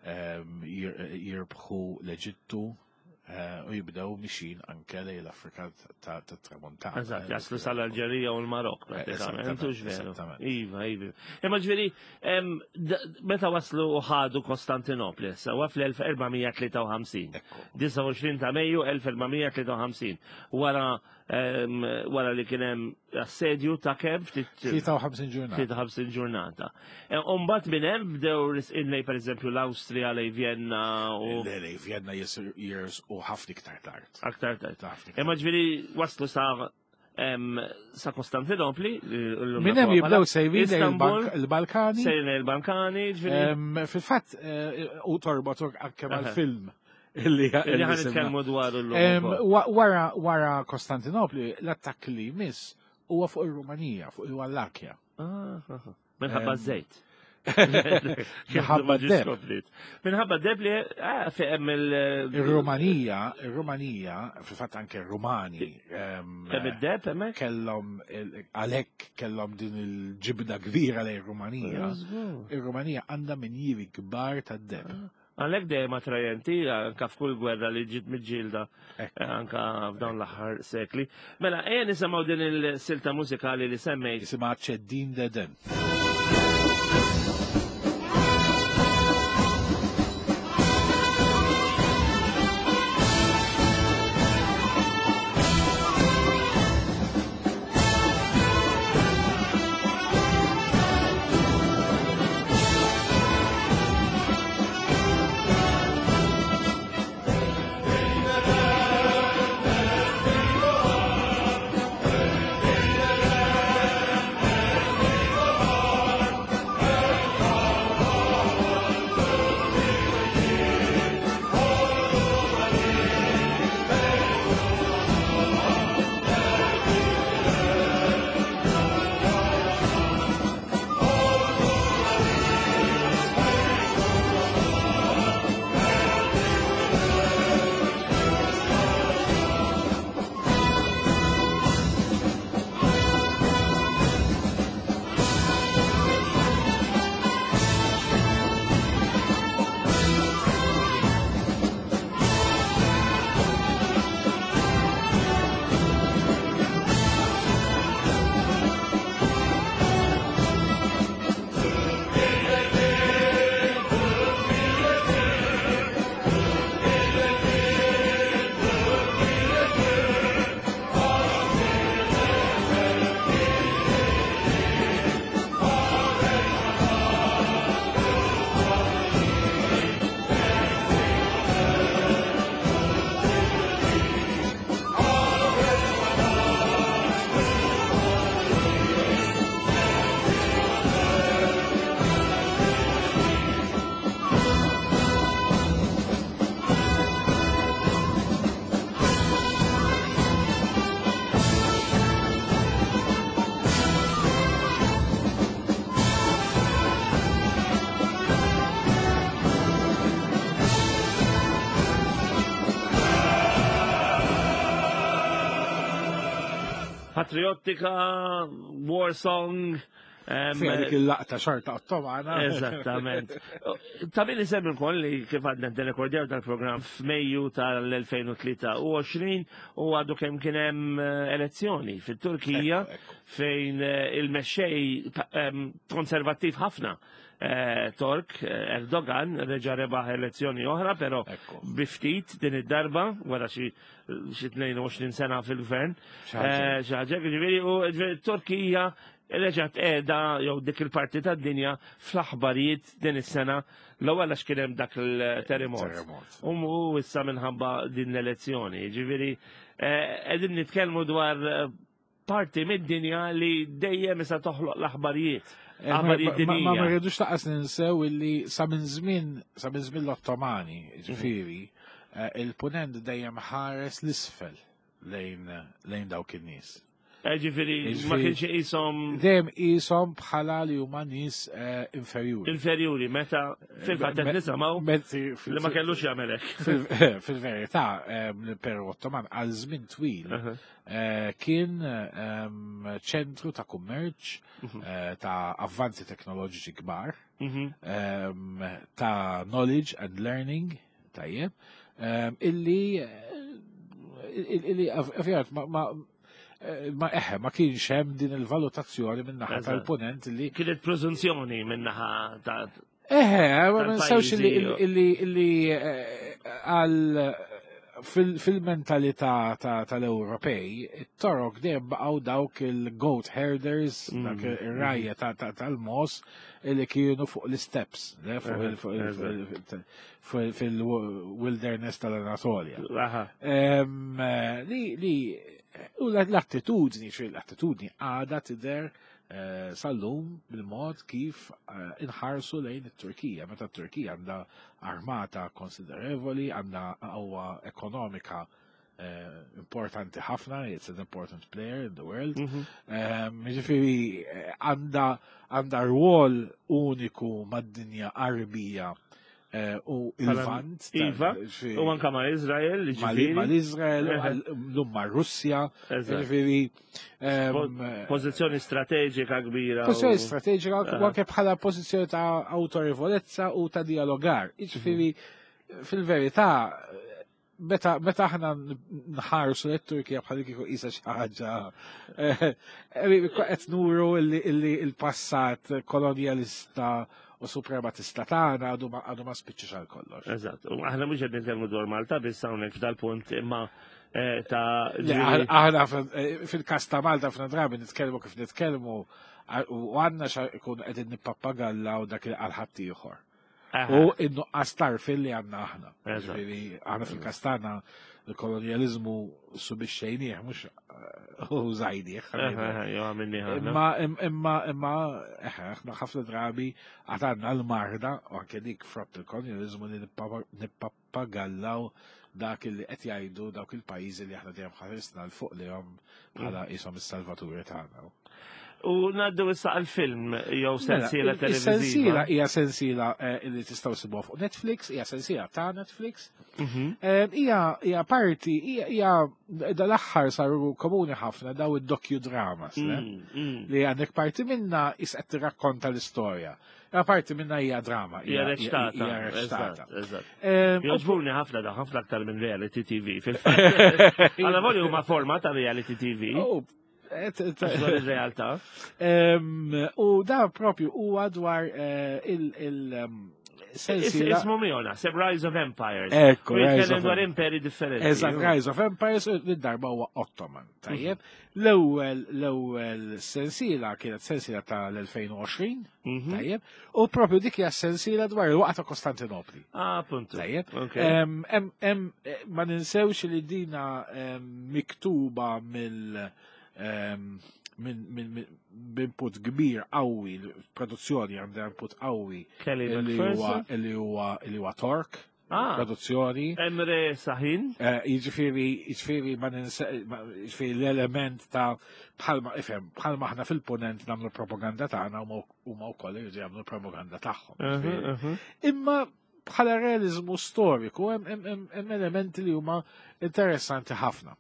jirbħu l-Eġittu u jibdew mixin anke lejn l-Afrika tat-Tramuntana. Eżatt, jaslu sal-Alġerija u l-Marok pratikament, hux veru. Iva, iva. Imma ġifieri meta waslu u ħadu Kostantinopli, sewwa fl-elf erba' mija tlieta u ħamsin. disgħa u għoxrin ta' Mejju elf erba' mija tlieta u ħamsin. Wara wara li kien hemm assedju ta' kemm ftit tlieta u ħamsin ġurnata. tlieta u ħamsin ġurnata. U mbagħad minn hemm bdew risqin lej pereżempju l-Awstrija, lej Vienna u Le, lej Vienna jersqu ħafna iktar tard. Aktar tard. Imma ġifieri waslu sa sa Kostantinopli, Minn hemm jibdew sejrin lejn il-Balkani. Sejrin lejn il-Balkani, ġifieri. Fil-fatt u torbot anke mal-film. Illi ħan nitkellmu dwar illum. Wara wara Kostantinopli, l-attakk li jmiss huwa fuq ir-Rumanija, fuq il-Wallakja. Minħabba żejt. Minħabba deb. Minħabba deb li hemm il- Ir-Rumanija, ir-Rumanija, fil-fatt anke r-Rumani. Hemm id-deb hemmhekk? Kellhom għalhekk kellhom din il-ġibda kbira lejn ir-Rumanija. Ir-Rumanija għandha minjieri kbar tad-deb. Għalhekk dejjem attrajenti anka f'kull gwerra li ġiet miġġielda anka f'dawn l-aħħar sekli. Mela, ejja nisimgħu din il-silta mużikali li semmejt. Jisimha Ċeddin Deden. Patriottika, war song. Fiha dik il-laqta xorta Ottomana. Eżattament. Ta' min isemmi wkoll li kif għadna nirrekordjaw dal-programm f'Mejju tal-elfejn u tlieta u għoxrin u għadu kemm kien hemm elezzjoni fit-Turkija fejn il-mexxej konservattiv ħafna Tork Erdogan reġa' rebaħ elezzjoni oħra, però biftit din id-darba wara xi tnejn u għoxrin sena fil-gvern. Xi ħaġa, ġifieri, u Turkija reġgħet qiegħda jew dik il-parti tad-dinja fl-aħbarijiet din is-sena l-ewwel għax kien hemm dak il-terremot. U issa minħabba din l-elezzjoni. Ġifieri qegħdin nitkellmu dwar parti mid-dinja li dejjem issa toħloq l-aħbarijiet. Aħbarijiet dinjija. Ma rridux taqas ninsew illi sa minn żmien sa minn żmien l-Ottomani, ġifieri, eh, il-punent dejjem ħares l-isfel lejn lejn dawk in-nies. Eh, Ġifieri, ma Ġifieri- kienx iqishom Dejjem qishom bħala li huma nies eh, inferjuri. inferjuri, meta fil-fatt qed Me- nisimgħu Mezzi fil- li ma kellux jagħmel hekk. fil- Fil-verità, ehm, l-Imperu Ottoman għal żmien twil Aha. eh, kien ehm, ċentru ta' kummerċ, Mhm. eh, ta' avvanzi teknoloġiċi kbar, Mhm. ehm, ta' knowledge and learning, tajjeb, ehm, illi eh, illi ovvjament ma ma eh, ma eħe, ma kienx hemm din il-valutazzjoni minn naħa Eżatt. tal-ponent li Kienet preżunzjoni min-naħa ta' Eħe, ma ninsewx illi Tal-pajjiżi. illi illi eh, għal fil- fil-mentalità ta- tal-Ewropej, it-Torok dejjem baqgħu dawk il-goat herders, Mm, dak ir-rgħajja ta- ta- tal-mogħoż illi kienu fuq l-steppes, le, fuq il- fuq il- fuq fil-wilderness tal-Anatolja. Aha. Em, eh, Li, li, u l-attitudni, xi l-attitudni għada tidher eh, sal-lum bil-mod kif eh, inħarsu lejn it-Turkija. Meta t-Turkija għandha armata konsiderevoli, għandha qawwa ekonomika eh, importanti ħafna, it's an important player in the world. Mhm. Em, Ġifieri, eh, għandha għandha rwol uniku mad-dinja Arbija eh, u il-Lvant. Iva, ġifieri- U anka ma' Izrael, mal- ġifieri. mal-Izrael, Eħe. l-lum ma' Russja, Eżatt. ġifieri, em, Pożizzjoni strateġika kbira. u- Pożizzjoni strateġika Aha. u anke bħala pożizzjoni ta' autorevolezza u ta' dialogar. Ġifieri, fil-verità, meta meta aħna nħarsu lit-Turkija bħal kieku qisha xi ħaġa eh, eh, qed nuru illi illi il-passat kolonjalista u suprematista tagħna għadu ma għadu ma spiċċax għal kollox. Eżatt. U aħna mhux qed nitkellmu dwar Malta biss hawnhekk f'dal-punt imma eh, ta' Le, ġifieri- Aħna aħna eh, fil-kas ta' Malta f'na drabi nitkellmu kif nitkellmu u għandna xa ikun qegħdin nippappagallaw dak il għal ħaddieħor. Aha. U in-nuqqas tarfin li għandna aħna. Eżatt. Ġifieri, aħna fil-kas tagħna il-kolonjalizmu subixxejnieh mhux eh, użajnieh. Aha, aha, jew għamilni ħana. Imma imma imma eħe, aħna ħafna drabi għad għandna l-marda u anke dik frott il-kolonjalizmu li nippa- nippappagallaw dak li qed jgħidu dawk il-pajjiżi li aħna dejjem ħarisna 'l fuq lejhom bħala qishom is-salvaturi tagħna. U ngħaddu issa għal-film jew sensiela Mela, televiżiva. Is-sensiela hija sensiela eh, li tistgħu sibuha fuq Netflix, hija sensiela ta' Netflix. Mhm. Eh, Hija hija parti hija hija dal-aħħar saru komuni ħafna daw id-docudramas, le? Mm, mm. Li għandek parti minna is qed tirrakkonta l-istorja. Hija parti minna hija drama, Hija reċtata. Hija reċtata. Eżatt, eżatt. Em, Jogħġbuni ħafna da, ħafna aktar minn reality T V. Fil-fatt. Għalla volja huma forma ta' reality T V. Oh, et- et- Għax dwar ir-realtà. Em, U da propju huwa dwar eh, il- il em, sensiela. Ismu miegħu naħseb Rise of Empires. Ekku, U Rise jitkellem of dwar Empires. imperi differenti. Eżatt, Rise of Empires, u darba huwa Ottoman, tajjeb. L-ewwel l-ewwel sensiela kienet sensiela tal-elfejn u għoxrin, Mhm. tajjeb, u propju dik hija sensiela dwar il-waqgħa ta' Kostantinopli. Ah, puntu. Tajjeb. Ok. Em, em, em, eh, ma ninsewx li dina em, miktuba mill em, minn min, min, b'input kbir qawwi, l-produzzjoni għandha input qawwi Kelly li huwa McPherson. li huwa li huwa Tork, Ah. produzzjoni. Emre Sahin. Eh, Jiġifieri, jiġifieri ma ninsa, ma- jiġifieri l-element ta' bħalma, ifhem, bħalma aħna fil-ponent nagħmlu propaganda tagħna huma huma wkoll iridu jagħmlu propaganda tagħhom. Jiġifieri. Mhm, mhm. Imma bħala realizmu storiku hemm hemm- hemm hemm elementi li huma interessanti ħafna.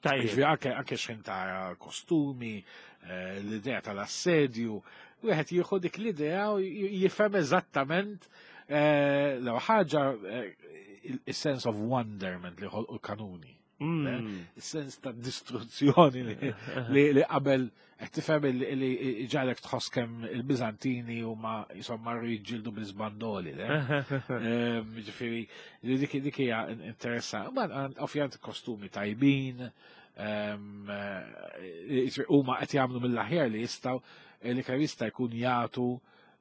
Tajjeb. Jiġifieri anke anke x'ħin tara kostumi, eh, l-idea tal-assedju, wieħed jieħu dik l-idea u j- jifhem eżattament eh, l ħaġa eh, il-sense of wonderment li ħolqu l-kanuni. Mm. Il-sens ta' distruzzjoni li, li, li qabel qed tifhem li li ġalek tħoss kemm il-Biżantini huma jisom marru jiġġieldu bil-żbandoli, le? Ehm, Ġifieri, li dik dik hija interessanti. Ma ovvjament kostumi tajbin, ehm, eh, huma qed jagħmlu mill-aħjar li jistgħu eh, li kemm jista' jkun jagħtu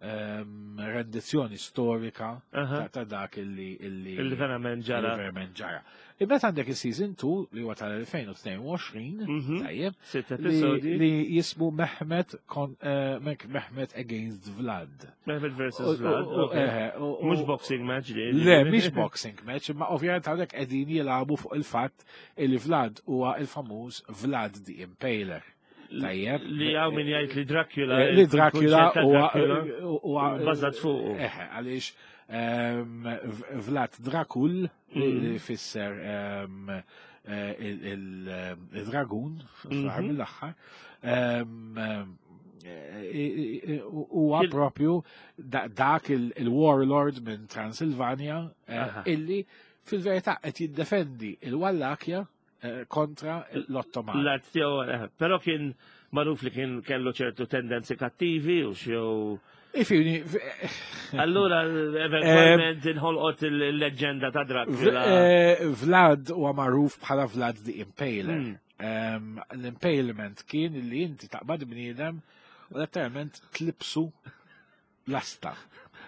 ehm, rendizzjoni storika Aha. ta' ta' dak illi illi Illi verament ġara. illi verament ġara. Imbagħad għandek il-season two li huwa tal-elfejn u tnejn u għoxrin, Mhm. tajjeb, Sitt li, episodi. li jismu Mehmet kon, eh, Mehmet Against Vlad. Mehmet U- versus Vlad. u- u- Okay. eh, u- u- Mhux boxing match li. Le, mhix boxing match, imma ovvjament hawnhekk qegħdin jilagħbu fuq il-fatt li Vlad huwa il-famuż Vlad the Impaler. Tajjeb. Li hawn min jgħid li Dracula. Eh, Li Dracula il-kunċett ta' huwa Dracula huwa Bażat fuqu. Eħe, għaliex ehm, V- Vlad Dracul li Mm. li fisser ehm, eh, il- il- il-dragun fl-aħħar Mhm. mill-aħħar ehm, eh, eh, huwa Kien- propju da- dak il- il-warlord minn Transilvania eh, Aha. illi fil-verità qed jiddefendi il-Wallakja eh, kontra l-Ottomani. L-art tiegħu, eh, però kien magħruf li kien kellu ċertu tendenzi kattivi u xew. Ifini, Allura eventwalment inħolqot il-leġenda ta' Dracula. eh, Vlad huwa magħruf bħala Vlad the Impaler. Mm. Em, L-impalement kien li inti taqbad bniedem u letteralment tlibsu lasta.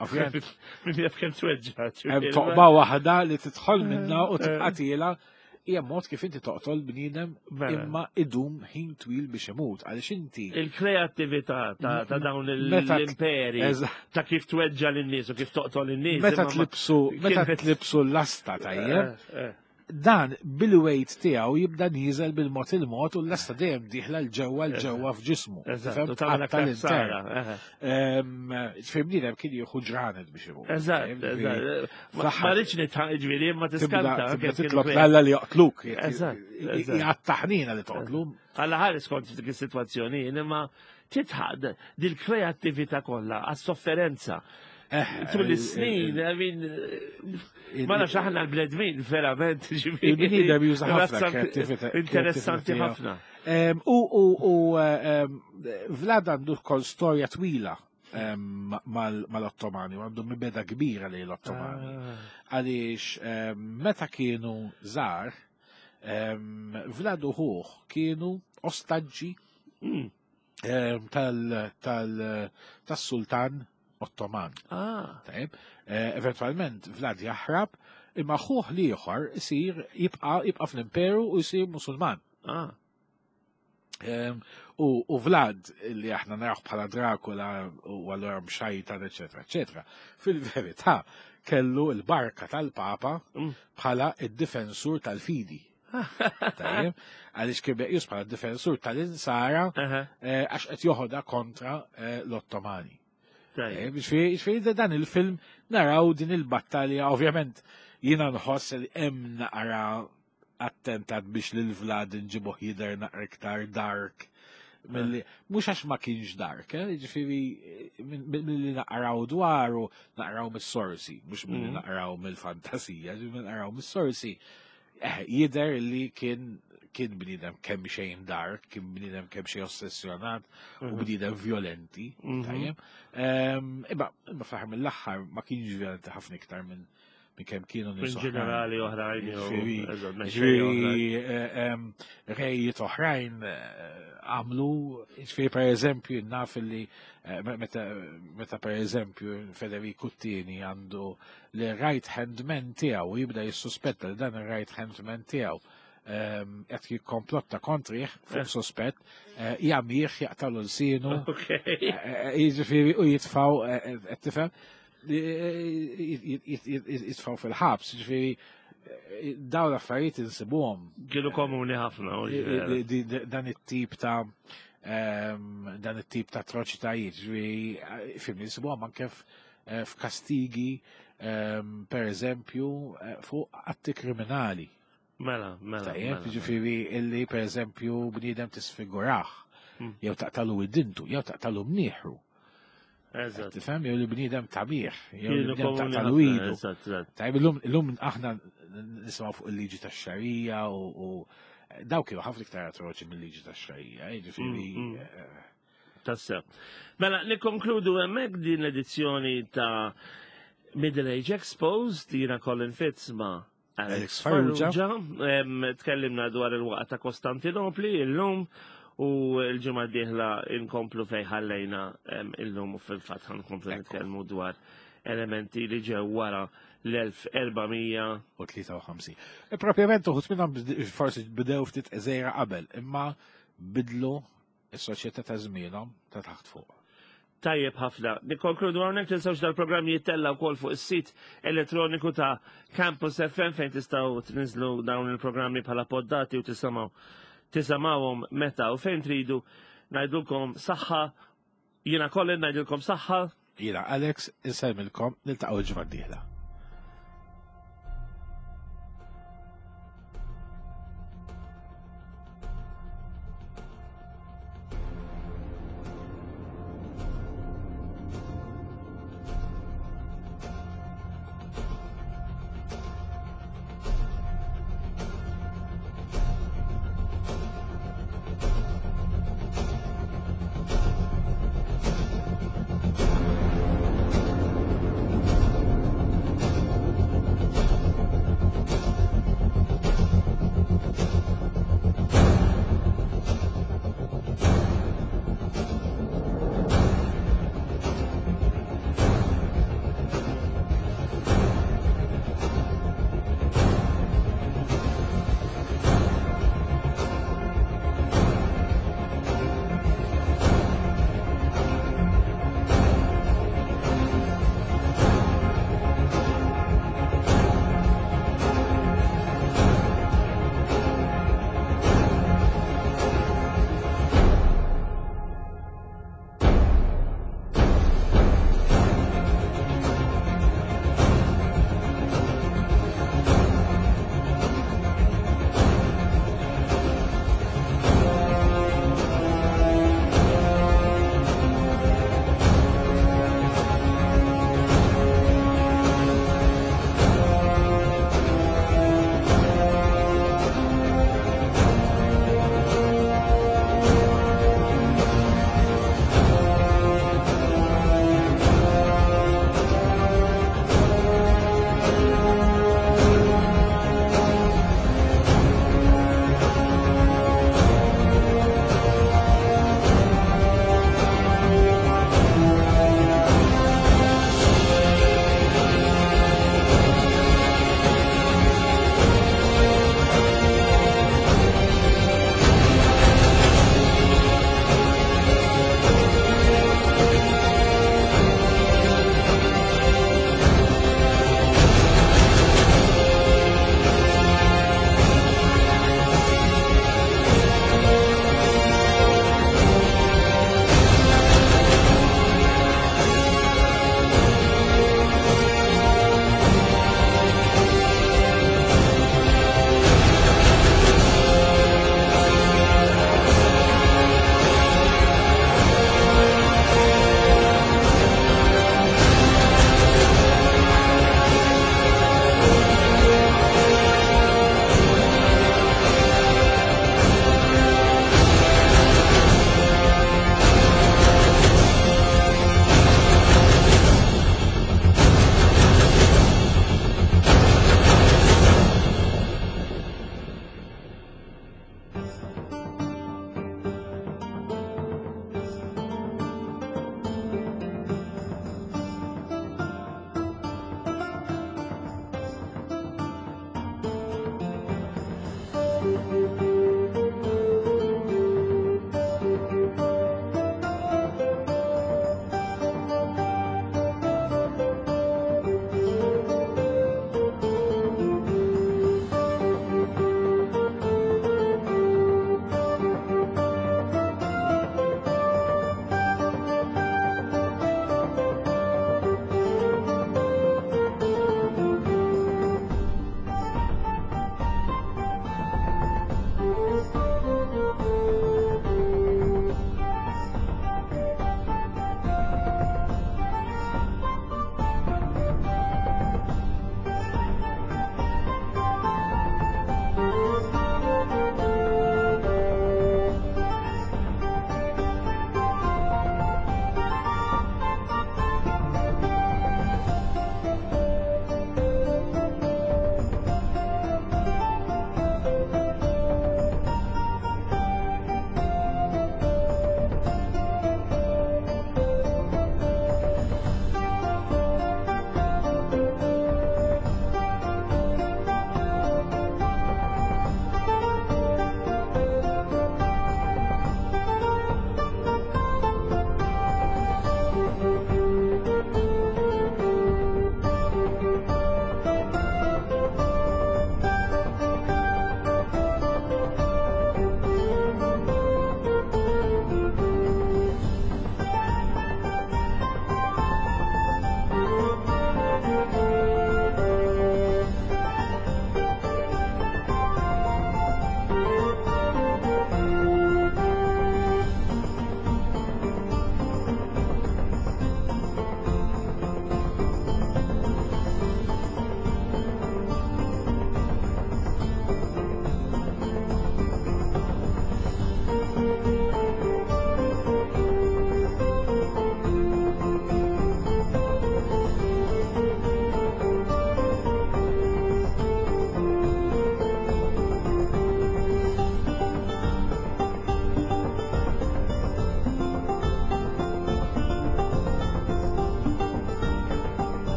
Ovvjament, Min jaf kemm tweġġa. hemm toqba waħda li tidħol minna u tibqa' tiela, hija mod kif inti toqtol bniedem Mela. imma idum ħin twil biex imut, għaliex inti Il-kreattività ta' ta' dawn Meta- l-imperi, Eżatt. ta' kif tweġġa lin-nies u kif toqtol in-nies. Meta imma ma- tlibsu meta kienet- tlibsu l-lasta, tajjeb, Eh, eh. dan bil-weight tiegħu jibda nieżel bil-mod il-mod u l-lasta dejjem dieħla l-ġewwa l-ġewwa f'ġismu. Eżatt, Tifhem? u tagħmel Tqatta' aktar l-intern. ħsara, eh. Ehm, Ġifieri bniedem kien jieħu ġranet biex imut. Eżatt, Ġifieri, eżatt. Ma fl-aħħar ma rridx nitħaq, ġifieri, ma Tibda tiskanta. tibda kif kienu titlob kre- l-Alla li joqtluk. Eżatt, eżatt. Jgħattaħnina li toqtlu. Alla ħares kont f'dik is-sitwazzjoni, imma titħad dil-kreattività kollha għas-sofferenza. Eh, Tul is-snin, I mean, ma nafx aħna l-bledmin, verament, ġifieri. Il-bniedem juża ħafna Razzan- kreattività- Interessanti kreattività ħafna. Em, U u u em, Vlad għandu kol storja twila em, mal- mal-Ottomani, u għandu mibegħda kbira li l-Ottomani. Ah. Għaliex em, meta kienu żgħar, em, Vlad u ħuh kienu ostaġġi Mm. em, tal- tal- tas-sultan Ottoman. Ah, Tajb, eh, eventualment Vlad jaħrab, imma ħuh l-ieħor isir jibqa' jibqa' fl-imperu u jsir Musulman. ah. Em, U, u Vlad, li aħna naraw bħala Dracula u allura mxajtan, eccetera, eccetera, fil-verità kellu il-barka tal-Papa Mm. bħala id-difensur tal-fidi. Tajjeb, għaliex kien meqjus bħala d-difensur tal-insara Aha, eh, għax qed joħodha kontra eh, l-Ottomani. tajjeb. Ġifieri ġifieri dan il-film naraw din il-battalja, ovvjament jiena nħoss li hemm naqra attentat biex lil Vlad nġibuh jidher naqra iktar dark. Milli, mhux għax ma kienx dark, eh? Ġifieri milli naqraw dwaru, naqraw mis-sorsi, mhux milli Mhm. naqraw mill-fantasija, ġifieri naqraw mis-sorsi. Eh, jidher li kien kien bniedem kemm xejn dark, kien bniedem kemm xejn ossessjonat u Mhm. bniedem violenti, Mhm. tajjeb. Ehm, Imma imma fl-aħħar mill-aħħar ma kienx violenti ħafna iktar minn minn kemm kienu Minn nies oħrajn. ġenerali oħrajn, jew- Ġifieri- eżatt, mexxejja oħrajn. Ġifieri eh, em, rejiet oħrajn eh, għamlu, ġifieri per eżempju naf li eh, meta meta per eżempju Federico Tieni għandu li right hand man tiegħu jibda jissuspetta li dan ir-right hand man tiegħu em, qed jikkomplotta kontrih fuq Eh. sospett, eh, jagħmih jaqtalu l-sinu, Ok. jiġifieri u jitfaw, qed tifhem, jitfaw fil-ħabs, jiġifieri dawn l-affarijiet insibuhom Kienu komuni ħafna. u ġifieri. di- di- dan it-tip ta' ehm, dan it-tip ta' atroċitajiet, ġifieri fim insibuhom anke f- eh, f'kastigi ehm, per eżempju eh, fuq atti kriminali. Mela, mela. Tajjeb, mela. ġifieri illi per eżempju bniedem tisfigurah, Mm. jew taqtalu id-dintu, jew taqtalu mnieħru. Eżatt. Tifhem, jew li bniedem tabiħ, jew li Kienu bniedem komuni taqtalu ħafna, idu. eżatt, eżatt. Tajjeb, illum illum aħna nisimgħu fuq il-liġi tax-xarija u u daw kienu ħafna iktar atroċi mill-liġi tax-xarija, jiġifieri Mm, mm. eh, Tassew. Mela, nikkonkludu hemmhekk din l-edizzjoni ta' Middle Age Exposed, jiena Colin Fitz ma' Alex Alex Farrugia. Farrugia. Em, Tkellimna dwar il-waqgħa ta' Kostantinopli illum U l-ġimgħa d-dieħla inkomplu fejn ħallejna em, illum u fil-fatt ħa nkomplu Ekku. nitkellmu dwar elementi li ġew wara l-elf erba' mija u tlieta u ħamsin. E propjament uħud minnhom bd- forsi bdew ftit żgħira qabel, imma bidlu is-soċjetà ta' żmienhom ta' taħt fuq. Tajjeb ħafna. Nikkonkludu hawnhekk. Tinsewx, dal-programm jittella wkoll fuq is-sit elettroniku ta' Campus F M fejn tistgħu tniżlu dawn il-programmi bħala poddati u tisimgħu tisimgħuhom meta u fejn tridu. Ngħidulkom saħħa, jiena Colin ngħidulkom saħħa. Jiena Alex, insellmilkom, niltaqgħu l-ġimgħa d-dieħla.